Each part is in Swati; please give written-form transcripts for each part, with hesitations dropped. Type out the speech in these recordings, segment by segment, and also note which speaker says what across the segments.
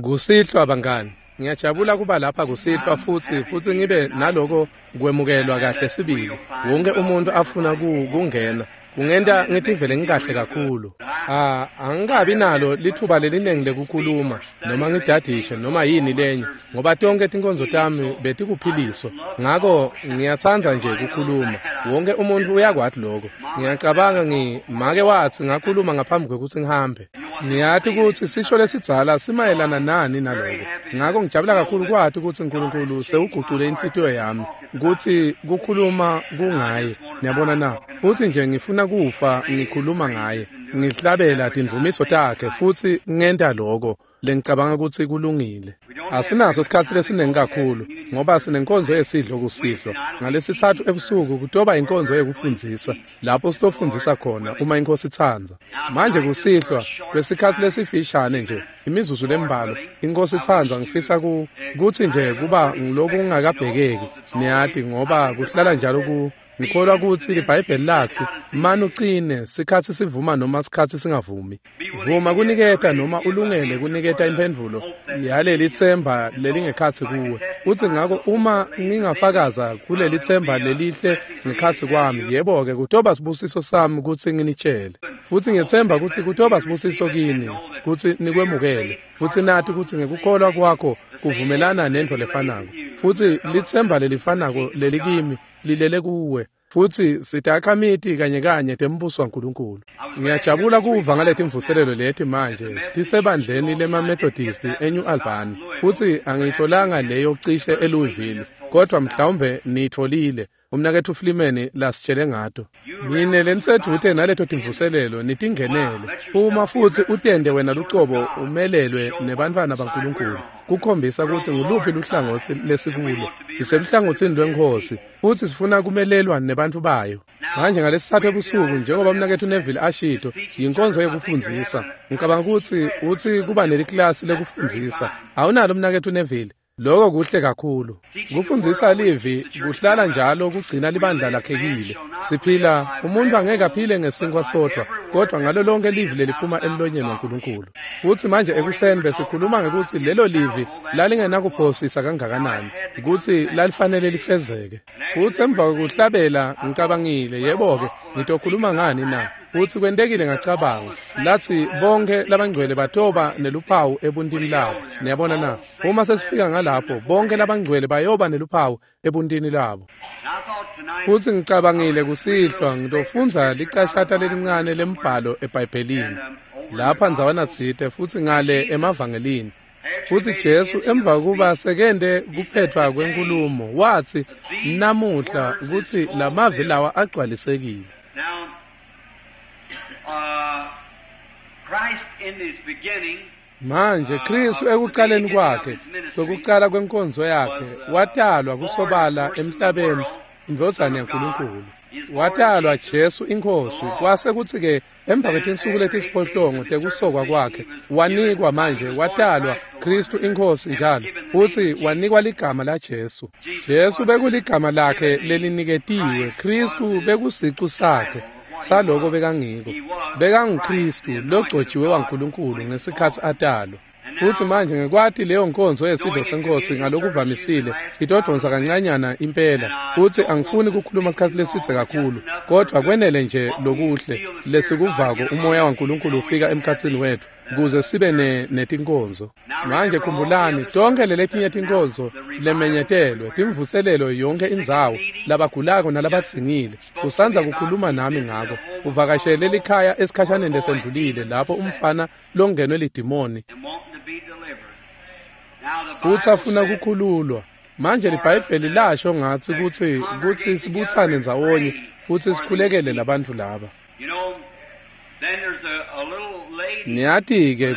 Speaker 1: Kusihlwa bangani, ngiyajabula kuba lapha kusihlwa futsi ngibe naloko kwemukelwa kahle sibili. Wonke umuntu afuna kungena. Kungenta ngitivele ngikahle kakhulu. Angikabi nalo lithuba leliningi lekukhuluma noma ngidadishe noma yini lenye ngoba tonke tinkonzo tami betikuphiliswa. Ngako ngiyatsandza nje kukhuluma. Wonke umuntu uyakwati lokho. Ngiyacabanga make wathi ngakhuluma ngaphambi kwekutsi ngihambe. Ngiyati kutsi sisho lesidzala simayelana nani naloko. Ngako ngijabula kakhulu kwati kutsi uNkulunkulu sewugucule inhlitiyo yami kutsi kukhuluma kungaye. Niyabona na? Futsi nje ngifuna kufa ngikhuluma ngaye. Ngihlabela tindvumiso takhe futsi ngenta lokho lengicabanga kutsi kulungile. Asinaso isikhatsi lesiningi kakhulu ngoba sinenkonzo yesidlo kusihlwa. Ngalesithathu ebusuku kutoba inkonzo yekufundzisa lapho sitofundzisa khona uma inkosi itsandza. Manje kusihlwa kwesikhatsi lesifishane nje imizuzu lembalwa inkosi itsandza ngifisa kutsi nje kuba ngilokungakabhekeki niyati ngoba kuhlala njalo ngikholwa kutsi liBhayibheli latsi mani ucine sikhatsi sivuma noma sikhatsi singavumi. Vuma kuniketa noma ulungele kuniketa imphendvulo yaleli tsemba lelingekhatsi kuwe. Utsi ngako uma ngingafakaza kuleli tsemba lelihle ngekhatsi kwami, yebo-ke kutoba sibusiso sami kutsi nginitshele. Futsi ngiyetsemba kutsi kutoba sibusiso kini kutsi nikwemukele. Futsi nati kutsi ngekukholwa kwakho kuvumelana nentfo lefanako. Futsi litsemba lelifanako lelikimi lilele kuwe. Futsi sitakhamiti kanye kanye tembuso waNkulunkulu. Ngiyajabula kuva ngaletimvuselelo leti manje tisebandleni lemaMethodist eNew Albany. Futsi angiyitholanga leyo cishe eLouisville, kodwa mhlawumbe niyitfolile. Umnaketfu Flimeni lasitshele ngato. Nine lenisedvute naleto timvuselelo nitingenele. Uma futsi utende wena lucobo umelelwe nebantfwana baNkulunkulu. Kukhombisa kutsi nguluphi luhlangotsi lesikulo. Siseluhlangotsini lweNkhosi futsi sifuna kumelelwa nebantfu bayo. Manje ngalesithathu ebusuku njengoba umnaketfu Neville ashito yinkonzo yekufundzisa. Ngicabanga kutsi utsi kuba neliklasi lekufundzisa. Awunalo umnaketfu Neville? Lokho kuhle kakhulu. Kufundzisa livi kuhlala njalo kugcina libandla lakhekile. Siphila umuntu angeke aphile ngesinkwa sodwa kodwa ngalo lonke livi leliphuma emlonyeni waNkulunkulu. Futsi manje ekuseni besikhuluma ngekutsi lelo livi lalingenakuphosisa kangakanani kutsi lalifanele lifezeke. Futsi emva kwekuhlabela ngicabangile yebo-ke ngitokhuluma ngani na? Futsi kwentekile ngacabanga latsi bonke labangcwele batoba neluphawu ebuntini labo. Niyabona na? Uma sesifika ngalapho bonke labangcwele bayoba neluphawu ebuntini labo. Futsi ngicabangile kusihlwa ngitofundza licashata lelincane lembhalo eBhayibhelini lapha ndzawana tsite futsi ngale emavangelini. Futsi Jesu emva kuba sekente kuphetfwa kwenkulumo watsi namuhla kutsi lamavi lawa agcwalisekile. Manje Kristu ekucaleni kwakhe kwekucala kwenkonzo yakhe watalwa kusobala emhlabeni indvodzana yaNkulunkulu. Watalwa Jesu inkosi kwase kutsi-ke emva kwetinsuku letisiphohlongo tekusokwa kwakhe wanikwa manje watalwa Kristu inkosi njalo futsi wanikwa ligama laJesu. Jesu bekuligama lakhe leliniketiwe, Kristu bekusicu sakhe saloko bekangiko. BekanguKristu logcotshiwe waNkulunkulu ngesikhatsi atalwa. Futsi manje ngekwati leyo nkonzo yesidlo senkosi ngalokuvamisile itodonsa kancanyana impela. Futsi angifuni kukhuluma isikhatsi lesidze kakhulu kodwa kwenele nje lokuhle lesikuvako umoya waNkulunkulu ufika emkhatsini wethu kuze sibe netinkonzo. Manje khumbulani tonke leletinye tinkonzo lemenyetelwe timvuselelo yonke indzawo labagulako nalabadzingile. Usandza kukhuluma nami ngako. Uvakashele likhaya esikhashaneni lesendlulile lapho umfana longenwe lidimoni futsi afuna kukhululwa. Manje liBhayibheli lasho ngatsi kutsi sibutsane ndzawonye futsi sikhulekele labantfu laba. Niyati-ke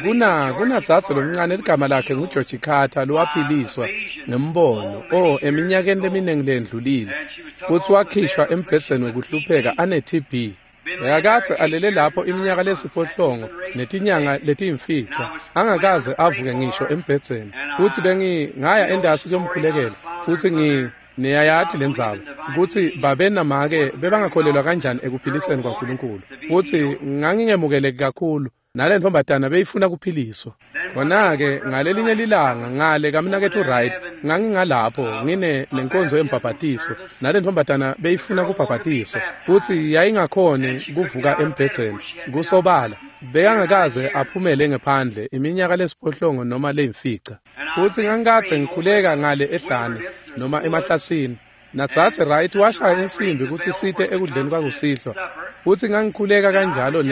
Speaker 1: kunadzadze lomncane ligama lakhe nguGeorge Carter lowaphiliswa ngembono eminyakeni leminingi lendlulile futsi wakhishwa embhedzeni wekuhlupheka ane-TB. Bekakadze alele lapho iminyaka lesiphohlongo netinyanga letiyimfica angakaze avuke ngisho embhedzeni. Futsi bengingaya endasi kuyomkhulekela futsi niyayati lendzaba kutsi babe namake bebangakholelwa kanjani ekuphiliseni kwaNkulunkulu. Futsi ngangingemukeleki kakhulu nale ntombazana beyifuna kuphiliswa. Khona-ke ngalelinye lilanga ngale kamnaketfu Wright, ngangingalapho ngine nenkonzo yembhabhatiso, nale ntombazana beyifuna kubhabhatiswa, futsi yayingakhoni kuvuka embhedzeni. Kusobala bekangakaze aphumele ngephandle iminyaka lesiphohlongo noma leyimfica. Futsi ngangikadze ngikhuleka ngale ehlane noma emahlatsini. Nadzadze Wright washaya insimbi kutsi site ekudleni kwakusihlwa, futsi ngangikhuleka kanjalo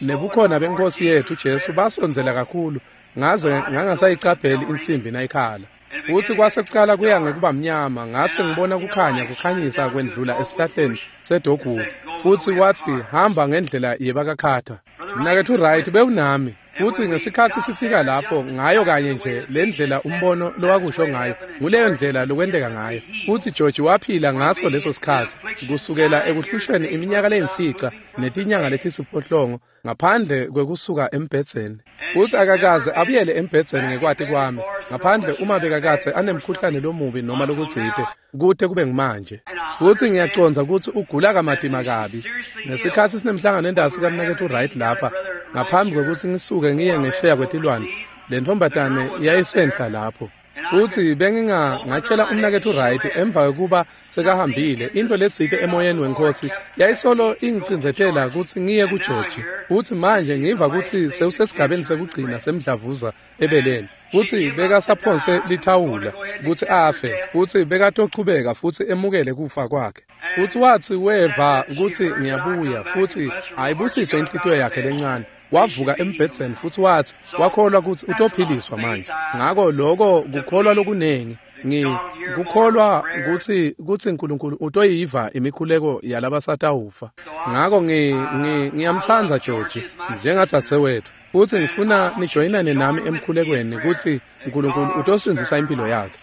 Speaker 1: nebukhona beNkhosi yetfu Jesu basondzela kakhulu ngaze ngangasayicapheli insimbi nayikhala. Futsi kwase kucala kuya ngekuba mnyama, ngase ngibona kukhanya kukhanyisa kwendlula esihlahleni sedogwood, futsi watsi hamba ngendlela yebakaKhatha. Mnaketfu Wright bewunami, futsi ngesikhatsi sifika lapho ngayo kanye nje le ndlela umbono lowakusho ngayo, nguleyo ndlela lokwenteka ngayo. Futsi George waphila ngaso leso sikhatsi kusukela ekuhlushweni iminyaka leyimfica netinyanga letisiphohlongo ngaphandle kwekusuka embhedzeni. Futsi akakaze abuyele embhedzeni ngekwati kwami, ngaphandle uma bekakadze anemkhuhlane lomubi noma lokutsite, kute kube ngumanje. Futsi ngiyacondza kutsi ugula kamatima kabi. Ngesikhatsi sinemhlangano endasi kamnaketfu Wright lapha, ngaphambi kwekutsi ngisuke ngiye ngesheya kwetilwandle, le ntombazane yayisenhla lapho. Futsi bengingatshela umnaketfu Wright emva kwekuba sekahambile, into letsite emoyeni weNkhosi yayisolo ingicindzetela kutsi ngiye kuGeorge. Futsi manje ngiva kutsi sewusesigabeni sekugcina semdlavuza ebeleni. Futsi bekasaphonse lithawula kutsi afe, futsi bekatochubeka futsi emukele kufa kwakhe. Futsi watsi weva kutsi ngiyabuya, futsi ayibusiswe inhlitiyo yakhe lencane. Wavuka embhedzeni futsi watsi wakholwa kutsi utophiliswa manje. Ngako lokho kukholwa lokunengi, ngikukholwa kutsi uNkulunkulu utoyiva imikhuleko yalabasatawufa. Ngako ngiyamtsandza George njengadzadzewetfu, futsi ngifuna nijoyinane nami emkhulekweni kutsi uNkulunkulu utosindzisa impilo yakhe.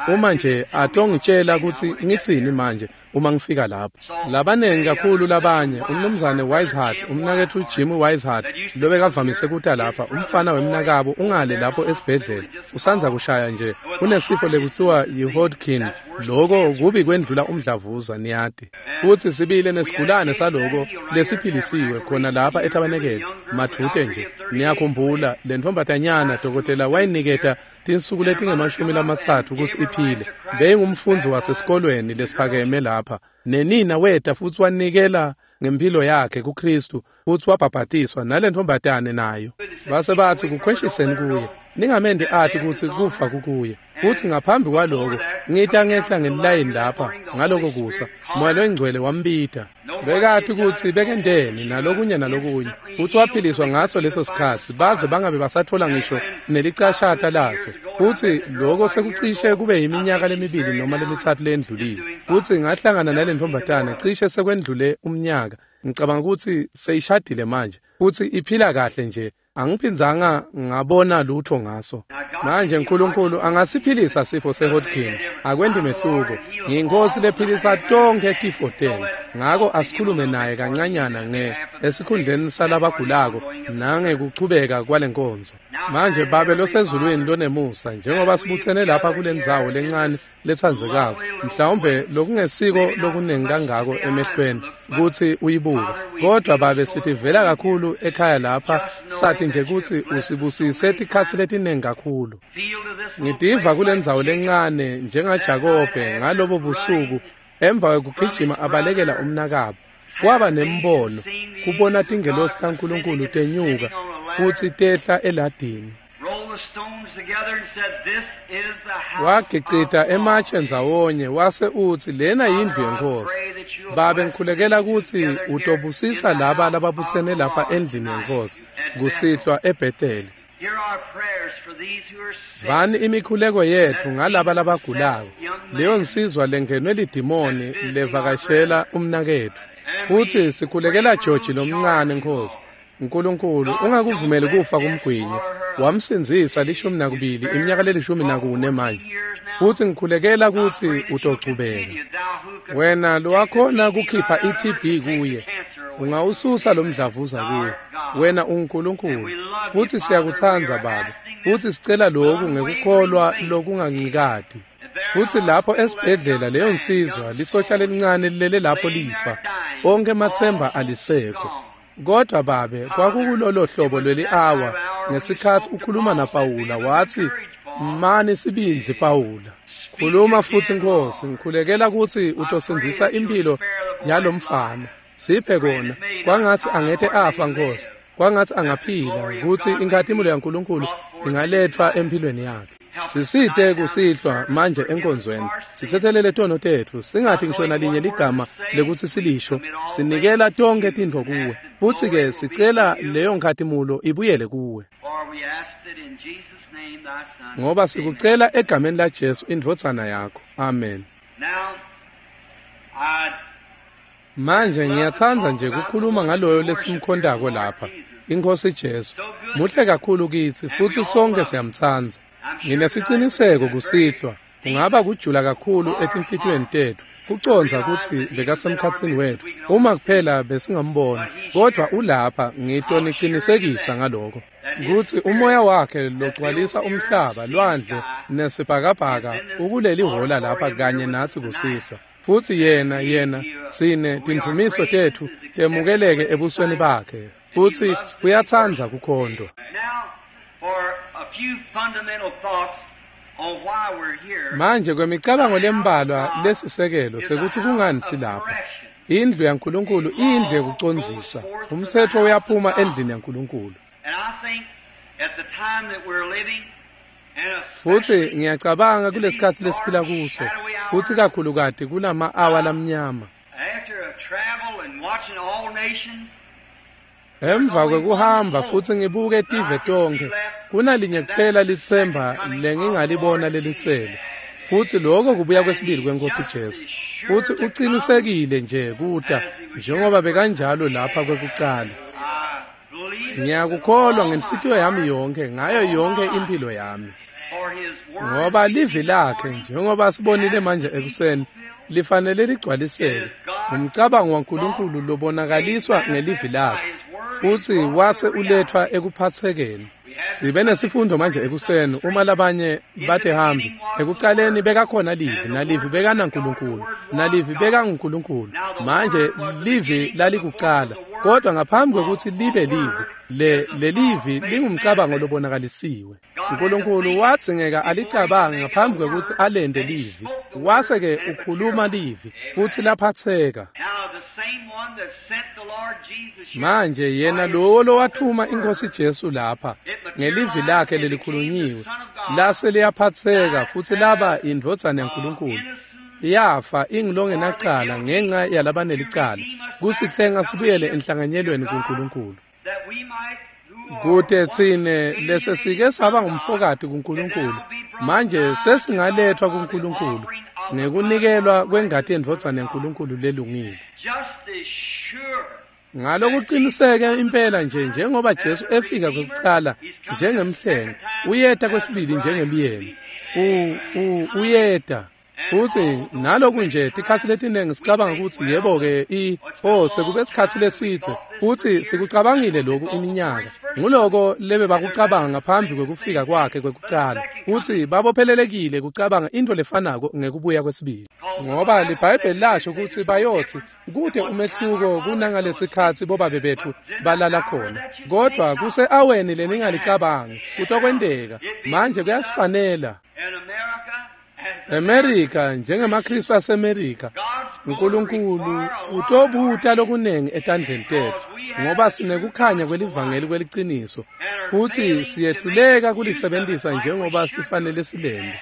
Speaker 1: Uma nje atongitshela kutsi ngitsini manje uma ngifika lapho. Labanengi kakhulu labanye, umnumzane Wisehart, umnaketfu Jim Wisehart, lobekavamise kuta lapha, umfana wemnakabo ungale lapho esibhedlela, usandza kushaya nje, unesifo lekutsiwa yi-Hodgkin, loko kubi kwendlula umdlavuza, niyati. Futsi sibile nesigulane saloko lesiphilisiwe khona lapha etabenekele, madvute nje. Niyakhumbula, le ntombazanyana dokotela wayiniketa tinsuku letinge-30 kutsi iphile. Beyingumfundzi wasesikolweni lesiphakeme lapha. Nenina weta futsi wanikela ngempilo yakhe kuKristu, futsi wabhabhatiswa nale ntombazane nayo. Base batsi kukhweshiseni kuye, ningamendi ati kutsi kufa kukuye. Futsi ngaphambi kwaloko ngita ngehla ngelilayini lapha ngaloko kusa, Moya loyiNgcwele wambita. Bekati kutsi bekenteni nalokunye nalokunye, futsi waphiliswa ngaso leso sikhatsi, baze bangabe basatfola ngisho nelicashata laso. Futsi loko sekucishe kube yiminyaka lemibili noma lemitsatfu leyendlulile. Futsi ngahlangana nale ntombazane cishe sekwendlule umnyaka. Ngicabanga kutsi seyishadile manje, futsi iphila kahle nje. Angiphindzanga ngabona lutho ngaso. Manje uNkulunkulu angasiphilisa sifo seHodgkin, akwenti mehluko. Ngiyinkosi lephilisa tonkhe tifo tenu. Ngako asikhulume naye kancanyana esikhundleni salabagulako nangekuchubeka kwalenkonzo. Manje Babe losezulwini lonemusa, njengoba sibutsene lapha kulendzawo lencane letsandzekako, mhlawumbe lokungesiko lokunengi kangako emehlweni kutsi uyibuke, kodwa Babe sitivela kakhulu ekhaya lapha, sathi nje kutsi usibusise tikhatsi letinengi kakhulu. Ngitiva kulendzawo lencane njengaJakobe ngalobo busuku emva kwekugijima abalekela umnakabo. Kwaba nembono kubona tingelosi taNkulunkulu tenyuka futsi tehla eladini. Wagicita ematshe ndzawonye wase utsi lena yindlu yeNkhosi. Babe ngikhulekela kutsi utobusisa laba lababutsene lapha endlini yeNkhosi kusihlwa eBetheli. Vani imikhuleko yetfu ngalaba labagulako, leyo nsizwa lengenwe lidimoni levakashela umnaketfu. Futsi sikhulekela George lomncane Nkhosi. Nkulunkulu ungakuvumeli kufa kumgwinye. Wamsindzisa 12 iminyaka le-14 manje. Futsi ngikhulekela kutsi utochubeka. Wena lowakhona kukhipha i-TB kuye, ungawususa lo mdlavuza kuye. Wena unguNkulunkulu, futsi siyakutsandza Babe. Futsi sicela lokhu ngekukholwa lokungancikati. Futsi lapho esibhedlela leyo nsizwa lisotsha lelincane lilele lapho lifa. Onke ematsemba alisekho. Kodwa Babe, kwakukulolo hlobo lweli-awa ngesikhathi ukhuluma naPawula wathi, "Mani sibindzi Pawula. Khuluma futhi Nkosi, ngikhulekela kutsi utosindzisa impilo yalomfana. Siphe kona, kwangatsi angete afa Nkosi, kwangatsi angaphila kutsi inkhatimulo yaNkulunkulu ingaletfwa empilweni yakhe. Sisite kusihlwa manje enkonzweni, sitsetselele tono tetfu, singathi ngisho nalinye ligama lekutsi silisho, sinikela tonkhe tintfo kuwe. Futsi-ke sicela leyo nkhatimulo ibuyele kuwe. Ngoba sikucela egameni laJesu indvodzana yakho. Amen. Manje ngiyatsandza nje kukhuluma ngaloyo lesimkhontako lapha, iNkhosi Jesu. Muhle kakhulu kitsi futsi sonke siyamtsandza. Nginesiciniseko kusihlwa, kungaba kujula kakhulu etinhlitiyweni tetfu, kucondza kutsi bekasemkhatsini wetfu, uma kuphela besingambona, kodvwa ulapha, ngitonicinisekisa ngaloko. Kutsi umoya wakhe logcwalisa umhlaba, lwandle nesibhakabhaka ukuleli hhola lapha kanye natsi kusihlwa. Futsi yena tsine tindvumiso tetfu temukeleke ebusweni bakhe, futsi uyatsandza kukhondwa. Manje kwemicabango lembalwa lesisekelo sekutsi kungani silapha. Indlu yaNkulunkulu iyindlu yekucondzisa. Umtsetfo uyaphuma endlini yaNkulunkulu. Futsi ngiyacabanga kulesikhatsi lesiphila kuso, futsi kakhulukati kulama-awa lamnyama. Emva kwekuhamba futsi ngibuke tive tonkhe, kunalinye kuphela litsemba lengingalibona lelisele. Futsi lokho kubuya kwesibili kweNkosi Jesu. Futsi ucinisekile nje kuta njengoba bekanjalo lapha kwekucala. Ngiyakukholwa ngenhlitiyo yami yonke, ngayo yonke impilo yami. Ngoba livi lakhe, njengoba sibonile manje ekuseni, lifanele ligcwaliseke. Umcabango waNkulunkulu lobonakaliswa ngelivi lakhe, futsi wase uletfwa ekuphatsekeni. Sibe nesifundo manje ekuseni uma labanye batehambi. Ekucaleni bekakhona livi, nalivi bekanaNkulunkulu, nalivi bekanguNkulunkulu. Manje livi lalikucala, kodwa ngaphambi kwekutsi libe livi, lelivi lingumcabango lobonakalisiwe. uNkulunkulu wadzingeka alicabange ngaphambi kwekutsi alente livi, wase-ke ukhuluma livi futsi laphatseka. Manje yena lowo lowathuma iNkhosi Jesu lapha ngelivi lakhe lelikhulunyiwe lase liyaphatseka futsi laba indvodzana yaNkulunkulu, yafa ingilongenacala ngenxa yalabanelicala, kusihlenga sibuyele enhlanganyelweni kuNkulunkulu. Kute tsine lesesike saba ngumfokati kuNkulunkulu, manje sesingalethwa kuNkulunkulu ngekunikelwa kwengati yendvodzana yaNkulunkulu lelungile. Ngalokuqiniseke impela nje njengoba Jesu efika kwekucala njengemhlengi, uyeta kwesibili njengemyeni. Uyeta. Futsi naloku nje tikhatsi letiningi sicabanga kutsi yebo-ke sekube sikhatsi lesidze, futsi sikucabangile lokhu iminyaka. Nguloko lebebakucabanga ngaphambi kwekufika kwakhe kwekucala, futsi babophelelekile kucabanga intfo lefanako ngekubuya kwesibili. Ngoba liBhayibheli lasho kutsi bayotsi kute umehluko kunangalesikhatsi bobabe betfu balala khona, kodwa kuse-aweni leningalicabangi kutokwenteka. Manje kuyasifanela. America njengemaKristu aseMerika, uNkulunkulu utobuta lokunengi etandleni tetfu, ngoba sinekukhanya kwelivangeli kweliciniso, futsi siyehluleka kulisebentisa njengoba sifanele silente.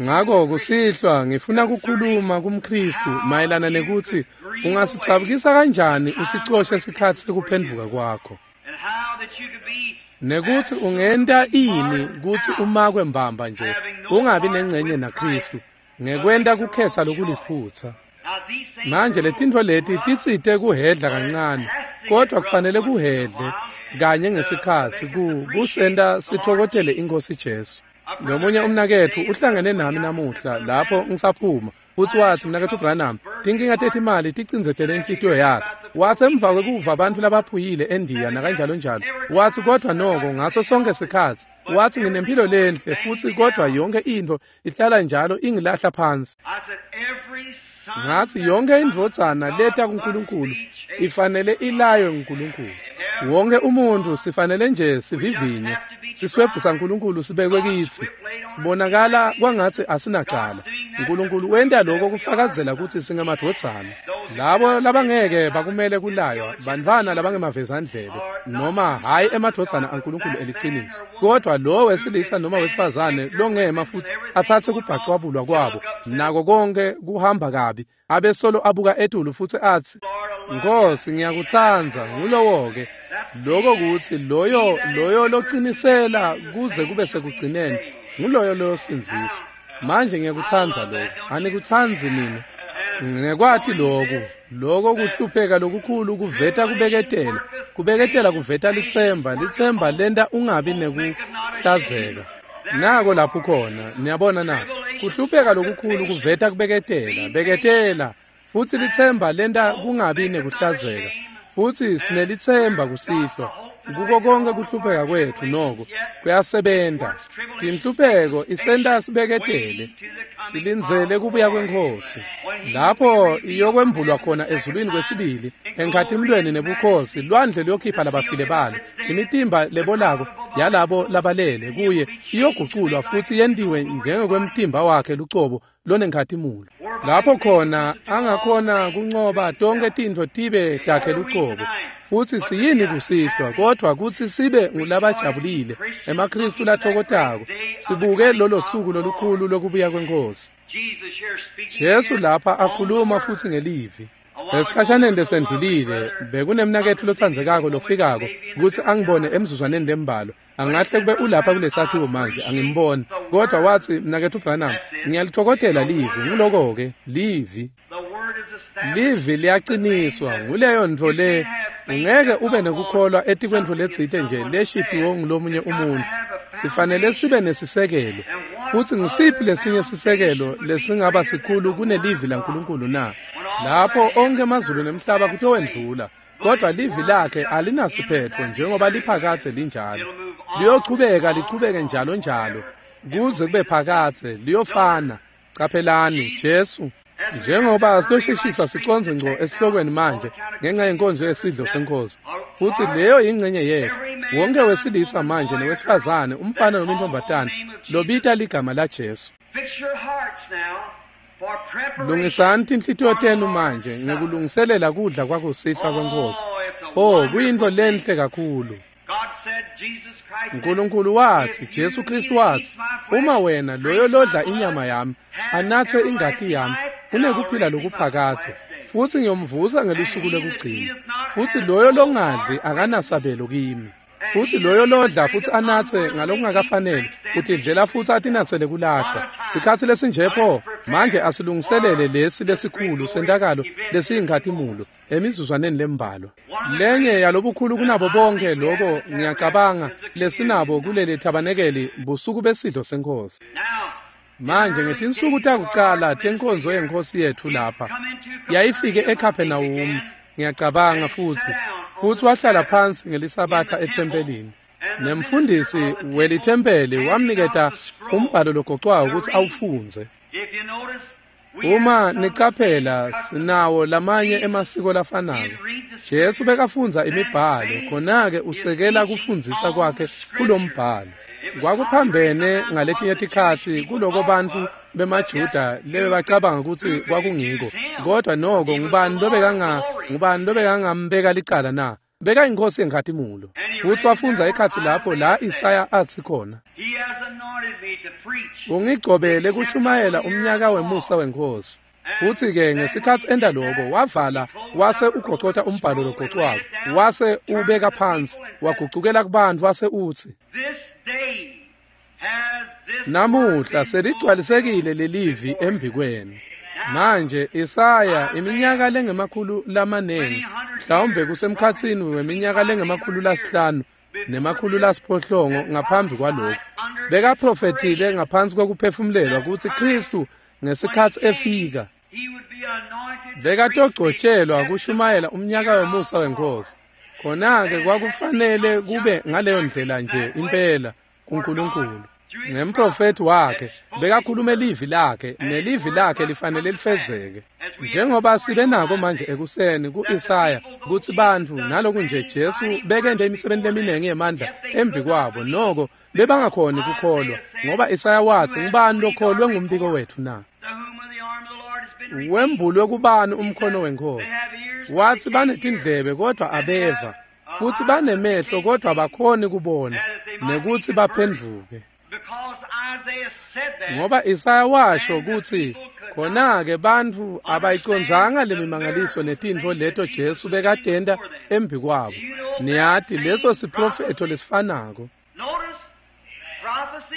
Speaker 1: Ngako kusihlwa ngifuna kukhuluma kumKristu mayelana nekutsi ungasitsabukisa kanjani usicoshe sikhatsi sekuphendvuka kwakho, nekutsi ungenta ini kutsi umakwe mbamba nje ungabi nengcenye naKristu ngekwenta kukhetsa lokuliphutsa. Manje letintfo leti titsite kuhedla kancane, kodwa kufanele kuhedle kanye ngesikhatsi kusenta sitfokotele iNkhosi Jesu. Nomunye umnaketfu uhlangene nami namuhla lapho ngisaphuma, futsi watsi, "Mnaketfu Branham, tinkinga tetimali ticindzetele inhlitiyo yakhe." Watsi emva kwekuva abantu labaphuyile eNdiya nakanjalo njalo, watsi kodwa noko ngaso sonke sikhatsi, watsi nginempilo lenhle futsi kodwa yonke intfo ihlala njalo ingilahla phansi. Ngatsi yonke indvodzana leta kuNkulunkulu ifanele ilaywe nguNkulunkulu. Wonke umuntu sifanele nje sivivinye. Siswebhu saNkulunkulu sibekwe kitsi. Sibonakala kwangatsi asinacala. Nkulunkulu wenta lokho kufakazela kutsi singemadvodzana. Labo labangeke bakumele kulaywa bantfwana labangemavezandlebe noma hhayi emadvodzana aNkulunkulu eliciniso. Kodwa lo wesilisa noma wesifazane longema futhi atsatse kubhacwabulwa kwabo nako konke kuhamba kabi abesolo abuka etulu futhi atsi, Nkosi ngiyakutsandza, ngulowo-ke. Lokho kutsi loyo locinisela kuze kube sekugcineni nguloyo loyosindziswa. Manje ngiyakutsandza lokho. Anikutsandzi nina? Nginekwati lokhu. Lokho kuhlupheka lokukhulu kuveta kubeketela. Kubeketela kuveta litsemba. Litsemba lenta ungabi nekuhlazeka. Nako lapho khona, niyabona na? Kuhlupheka lokukhulu kuveta kubeketela. Beketela. Futsi litsemba lenta kungabi nekuhlazeka. Futsi sinelitsemba kusihlwa. Kuko konke kuhlupheka kwetfu noko kuyasebenta. Tinhlupheko isenta sibeketele. Silindzele kubuya kweNkhosi. Lapho iyokwembulwa khona ezulwini kwesibili, enkhatimlweni nebukhosi, lwandle luyokhipha labafile balo. Imitimba lebolako yalabo labalele kuye iyoguculwa futsi yentiwe njengekwemtimba wakhe lucobo lonenkhatimulo. Lapho khona angakhona kuncoba tonke tintfo tibe takhe lucobo. Futsi siyini kusihlwa kodwa kutsi sibe ngulabajabulile emaKristu lathokotako sibuke lolo suku lolukhulu lokubuya kweNkhosi. Jesu lapha akhuluma futsi ngelivi. Esikhashaneni lesendlulile bekunemnaketfu lotsandzekako lofikako kutsi angibone emzuzwaneni lembalwa. Angahle kube ulapha kulesakhiwo manje angimboni, kodwa watsi, mnaketfu Branham, ngiyalitfokotela livi. Nguloko-ke livi. Livi liyaciniswa. Nguleyo ntfo le ungeke ube nekukholwa etikwentfo letsite nje leshitiwe ngulomunye umuntu. Sifanele sibe nesisekelo. Futsi ngusiphi lesinye sisekelo lesingaba sikhulu kunelivi laNkulunkulu na? Lapho onke amazulu nemhlaba kutowendlula, kodwa livi lakhe alinasiphetfo njengoba liphakadze linjalo. Liyochubeka lichubeke njalo njalo kuze kube phakadze, liyofana. Caphelani Jesu, njengoba siyosheshisa siconze ngco esihlokweni manje ngenxa yenkonzo yesidlo seNkhosi. Futsi leyo yingcenye yetfu. Wonke wesilisa manje newesifazane, umfana noma intombazane lobita ligama laJesu. Lungisani tinhlitiyo tenu manje ngekulungiselela kudla kwakusihlwa kweNkhosi. Oh, kuyintfo lenhle kakhulu. Nkulunkulu watsi, Jesu Kristu watsi, uma wena loyo lodla inyama yami anatse ingati yami unekuphila lokuphakadze, futsi ngiyomvusa ngelusuku lokugcina. Futsi loyo longadli akanasabelo kimi. Futsi loyo lodla futsi anatse ngalokungakafanele utidlela futsi atinatsele kulahlwa. Sikhatsi lesinje pho manje asilungiselele lesi lesikhulu sentakalo lesiyinkhatimulo emizuzwaneni lembalwa. Lenye yalobukhulu kunabo bonke lokho ngiyacabanga lesinabo kuleli thabanekeli busuku besidlo seNkhosi. Manje ngetinsuku takucala tenkonzo yeNkhosi yetfu lapha yayifike eKapernaum, ngiyacabanga futsi wahlala phansi ngelisabatha ethempelini. Nemfundisi welithempeli wamniketa umbhalo logocwako kutsi awufundze. Uma nicaphela sinawo lamanye emasiko lafanako. Jesu bekafundza imibhalo, khona-ke usekela kufundzisa kwakhe kulombhalo. Kwakuphambene ngaletinye tikhatsi kuloko bantfu bemaJuda lebebacabanga kutsi kwakungiko, kodwa noko ngubani lobekangambeka licala na? Bekayinkosi yenkhatimulo. Futsi wafundza ekhatsi lapho la Isaya atsi khona, ungigcobele kushumayela umnyaka wemusa weNkhosi. Futsi-ke ngesikhatsi enta loko wavala wase ugocota umbhalo logocwako, wase ubeka phansi, wagucukela kubantfu wase utsi, namuhla seligcwalisekile lelivi embikwenu. Manje Isaya iminyaka lengemakhulu lamanengi, mhlawumbe kusemkhatsini weminyaka lengemakhulu lasihlanu nemakhulu lasiphohlongo ngaphambi kwalokho, bekaprofethile ngaphansi kwekuphefumulelwa kutsi Kristu ngesikhatsi efika bekatogcotshelwa kushumayela umnyaka wemusa weNkhosi. Khona-ke kwakufanele kube ngaleyo ndlela nje impela kuNkulunkulu. Ngemprofethi wakhe bekakhulume livi lakhe, nelivi lakhe lifanele lifezeke. Njengoba sibe nako manje ekuseni ku-Isaya kutsi bantfu naloku nje Jesu bekente imisebenti leminingi yemandla embi kwabo, noko bebangakhoni kukholwa, ngoba Isaya watsi, ngubani lokholwe ngumbiko wetfu na? Wembulwe kubani umkhono weNkhosi? Watsi banetindlebe kodvwa abeva, futsi banemehlo kodvwa bakhoni kubona, nekutsi baphendvuke. Ngoba Isaya washo kutsi khona-ke bantfu abayicondzanga lemimangaliso netintfo leto Jesu bekatenta embi kwabo. Niyati leso siprofetho lesifanako.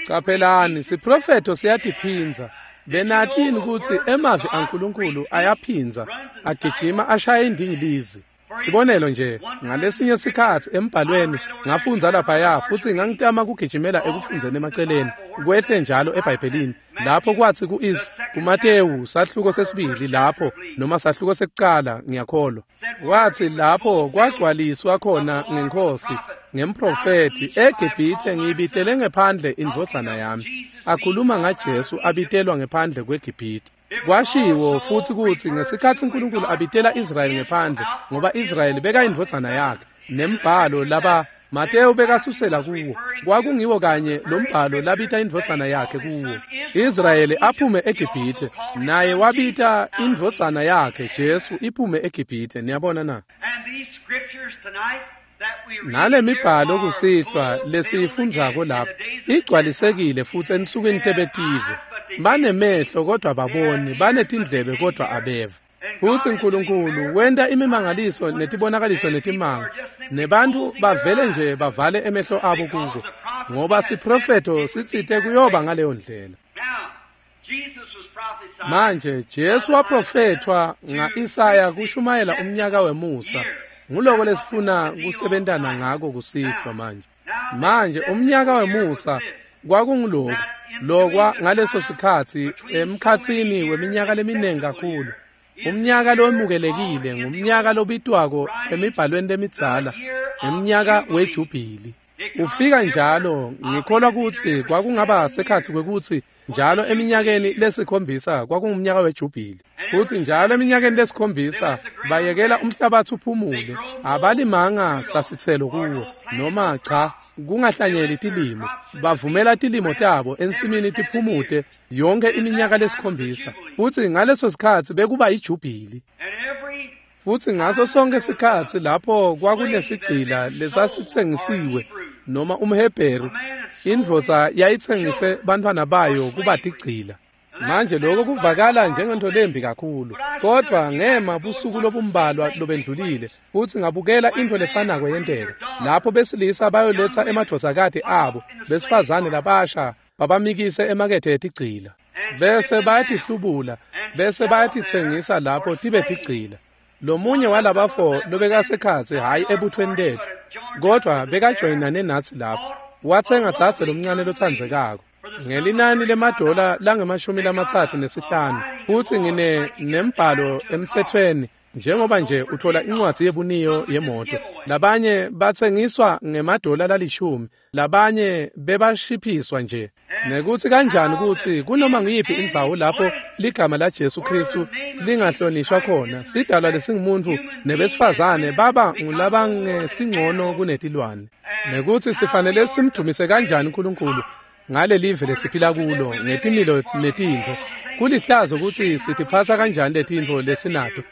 Speaker 1: Caphelani, siprofetho siyatiphindza. Benatini kutsi emavi aNkulunkulu ayaphindza, agijima ashaya indingilizi. Sibonelo nje, ngalesinye sikhatsi embhalweni ngafundza laphaya futsi ngangitama kugijimela ekufundzeni emaceleni, kwehle njalo eBhayibhelini, lapho kwatsi kuMatewu sahluko sesibili lapho noma sahluko sekucala ngiyakholwa. Watsi lapho kwagcwaliswa khona ngeNkhosi, ngemprofethi, eGibhithe ngiyibitele ngephandle indvodzana yami. Akhuluma ngaJesu abitelwa ngephandle kweGibhithe. Kwashiwo futsi kutsi ngesikhatsi uNkulunkulu abitela Israyeli ngephandle, ngoba Israyeli bekayindvodzana yakhe, nembhalo laba Matewu bekasusela kuwo, kwakungiwo kanye lombhalo labita indvodzana yakhe kuwo. Israyeli aphume eGibhithe, naye wabita indvodzana yakhe Jesu iphume eGibhithe. Niyabona na? Nale mibhalo kusihlwa lesiyifundzako lapha igcwalisekile futsi ensukwini tebetive. Banemehlo kodwa baboni, banetindlebe kodwa abeva. Futsi uNkulunkulu wenta imimangaliso netibonakaliso netimanga, nebantfu bavele nje bavale emehlo abo kuko, ngoba siprofetho sitsite kuyoba ngaleyo ndlela. Manje Jesu waprofethwa nga-Isaya kushumayela umnyaka wemusa. Nguloko lesifuna kusebentana ngako kusihlwa manje. Manje umnyaka wemusa kwakunguloku lokwa ngaleso sikhatsi emkhatsini weminyaka leminingi kakhulu. Umnyaka lowemukelekile ngumnyaka lobitwako emibhalweni lemidzala, umnyaka wejubhili. Ufika njalo, ngikholwa kutsi kwakungaba sekhatsi kwekutsi njalo eminyakeni lesikhombisa kwakungumnyaka wejubhili. Futsi njalo eminyakeni lesikhombisa bayekela umhlabatsi uphumule, abalimanga sasitselo kuwo, noma cha, kungahlanyeli tilimo. Bavumela tilimo tabo ensimini tiphumute yonke iminyaka lesikhombisa. Futsi ngaleso sikhatsi bekuba ijubhili. Futsi ngaso sonke sikhatsi lapho kwakunesigcila lesasitsengisiwe noma umHebheru, indvodza yayitsengise bantfwana bayo kuba tigcila. Manje lokho kuvakala njengento lembi kakhulu, kodvwa ngema busuku lobumbalwa lobendlulile futsi ngabukela into lefanako yenteka. Lapho besilisa bayoletsa emadvodzakati abo besifazane labasha babamikise emakethe etigcila, bese bayatihlubula, bese bayatitsengisa lapho tibe tigcila. Lomunye walabafo lobekasekhatsi hhayi ebuthweni letfu, kodvwa bekajoyinane natsi lapho, watsenga dzadze lomncane lotsandzekako ngelinani lemadola langama-35, futsi ngine nembhalo emtsetfweni njengoba nje uthola incwadzi yebuniyo yemoto. Labanye batsengiswa ngemadola lalishumi, labanye bebashiphiswa nje. Nekutsi kanjani kutsi kunoma nguyiphi indzawo lapho ligama laJesu Kristu lingahlonishwa khona, sidalwa lesingumuntu nebesifazane baba ngulabangesingcono kunetilwane. Nekutsi sifanele simdumise kanjani uNkulunkulu ngalelive lesiphila kulo ngetimilo netintfo. Kulihlazo kutsi sitiphatsa kanjani letintfo lesinato,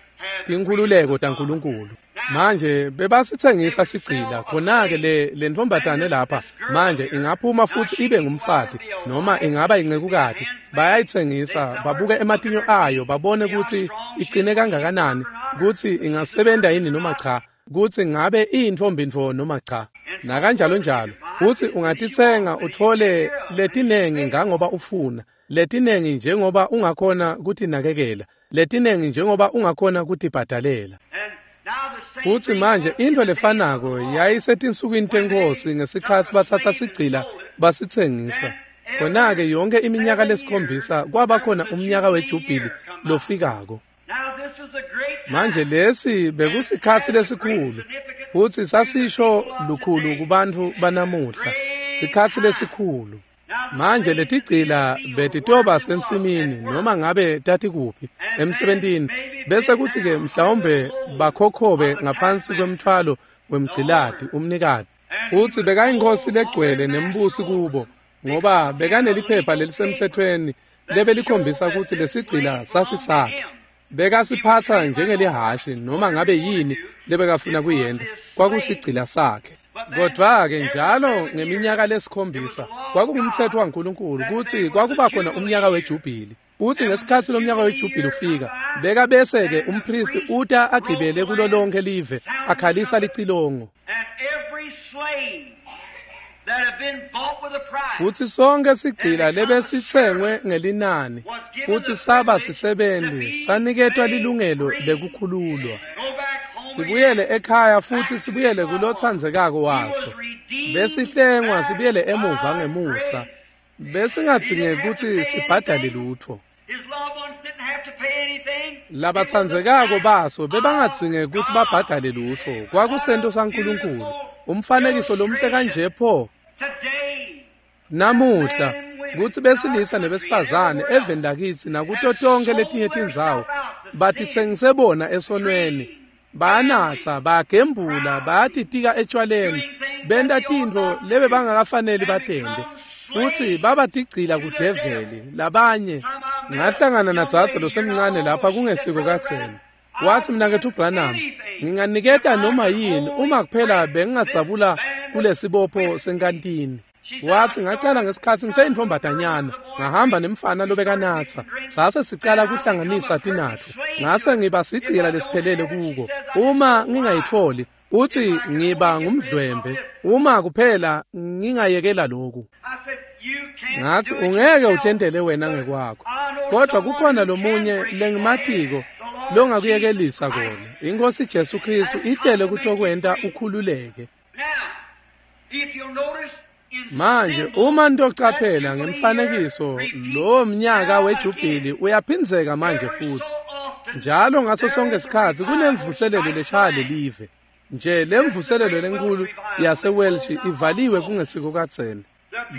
Speaker 1: tinkhululeko taNkulunkulu. Manje bebasitsengisa sigcila, khona-ke le ntombazane lapha manje ingaphuma futsi ibe ngumfati noma ingaba incekukati. Bayayitsengisa, babuke ematinyo ayo, babone kutsi icine kangakanani, kutsi ingasebenta yini noma cha, kutsi ngabe iyintfombi ntfo noma cha, nakanjalo njalo. Utsi ungatitsenga utfole letinengi ngangoba ufuna, letinengi njengoba ungakhona kutinakekela, letinengi njengoba ungakhona kutibhadalela. Futsi manje into lefanako yayisetinsukwini teNkhosi ngesikhatsi batsatsa sigcila basitsengisa. Khona-ke yonke iminyaka lesikhombisa kwaba khona umnyaka wejubhili lofikako. Manje lesi bekusikhatsi lesikhulu, futsi sasisho lukhulu kubantfu banamuhla, sikhatsi lesikhulu. Manje letigcila betitoba sensimini noma ngabe tatikuphi emsebentini, bese kuthi-ke mhlawumbe bakhokhobe ngaphansi kwemthwalo wemgciladi umnikati. Futsi bekayinkosi legcwele nembusi kubo, ngoba bekaneliphepha lelisemthethweni lebelikhombisa kutsi lesigcila sasisakhe. Bekasiphatsa njengelihhashi noma ngabe yini lebekafuna kuyenta, kwakusigcila sakhe. Kodwa-ke njalo ngeminyaka lesikhombisa kwakungumthetho waNkulunkulu kutsi kwakuba khona umnyaka wejubhili. Futsi ngesikhatsi lomnyaka wejubhili ufika, beka bese-ke umphristi uta agibele kulo lonke live akhalisa licilongo. Futsi sonke sigcila lebesitsengwe ngelinani futsi saba sisebenti saniketwa lilungelo lekukhululwa. Sibuyele ekhaya futsi sibuyele kulotsandzekako waso. Besihlengwa sibuyele emuva ngemusa. Besingadzingeki kutsi sibhadale lutfo. Labatsandzekako baso bebangadzingeki kutsi babhadale lutfo. Kwakusento saNkulunkulu. Umfanekiso lomhle kanje pho. Namuhla kutsi besilisa nebesifazane eveni lakitsi nakuto tonke letinye tindzawo batitsengise bona esonweni. Bayanatsa, bayagembula, bayatitika etshwaleni, benta tintfo lebebangakafaneli batente. Futsi babatigcila kudeveli labanye. Ngahlangana nadzadze losemncane lapha kungesiko kadzeni. Watsi mnaketfu Branham, nginganiketa noma yini uma kuphela bengingadzabula kulesibopho senkantini. Watsi ngacala ngesikhatsi ngiseyintfombatanyana, ngahamba nemfana lobekanatsa. Sase sicala kuhlanganisa tinatfo. Ngase ngiba sigcila lesiphelele kuko. Uma ngingayitfoli, utsi ngiba ngumdlwembe. Uma kuphela ngingayekela loku. Ngathi ungeke utentele wena ngekwakho. Kodwa kukhona lomunye lengimatiko longakuyekelisa kona. Inkosi Jesu Kristu itele kutokwenta ukhululeke. Manje uma nitocaphela ngemfanekiso lowo mnyaka wejubhili uyaphindzeka manje futsi. Njalo ngaso sonke isikhatsi kunemvuselelo leshaya lelive. Nje lemvuselelo lenkulu yaseWelsh ivaliwe kungesiko kadzeni.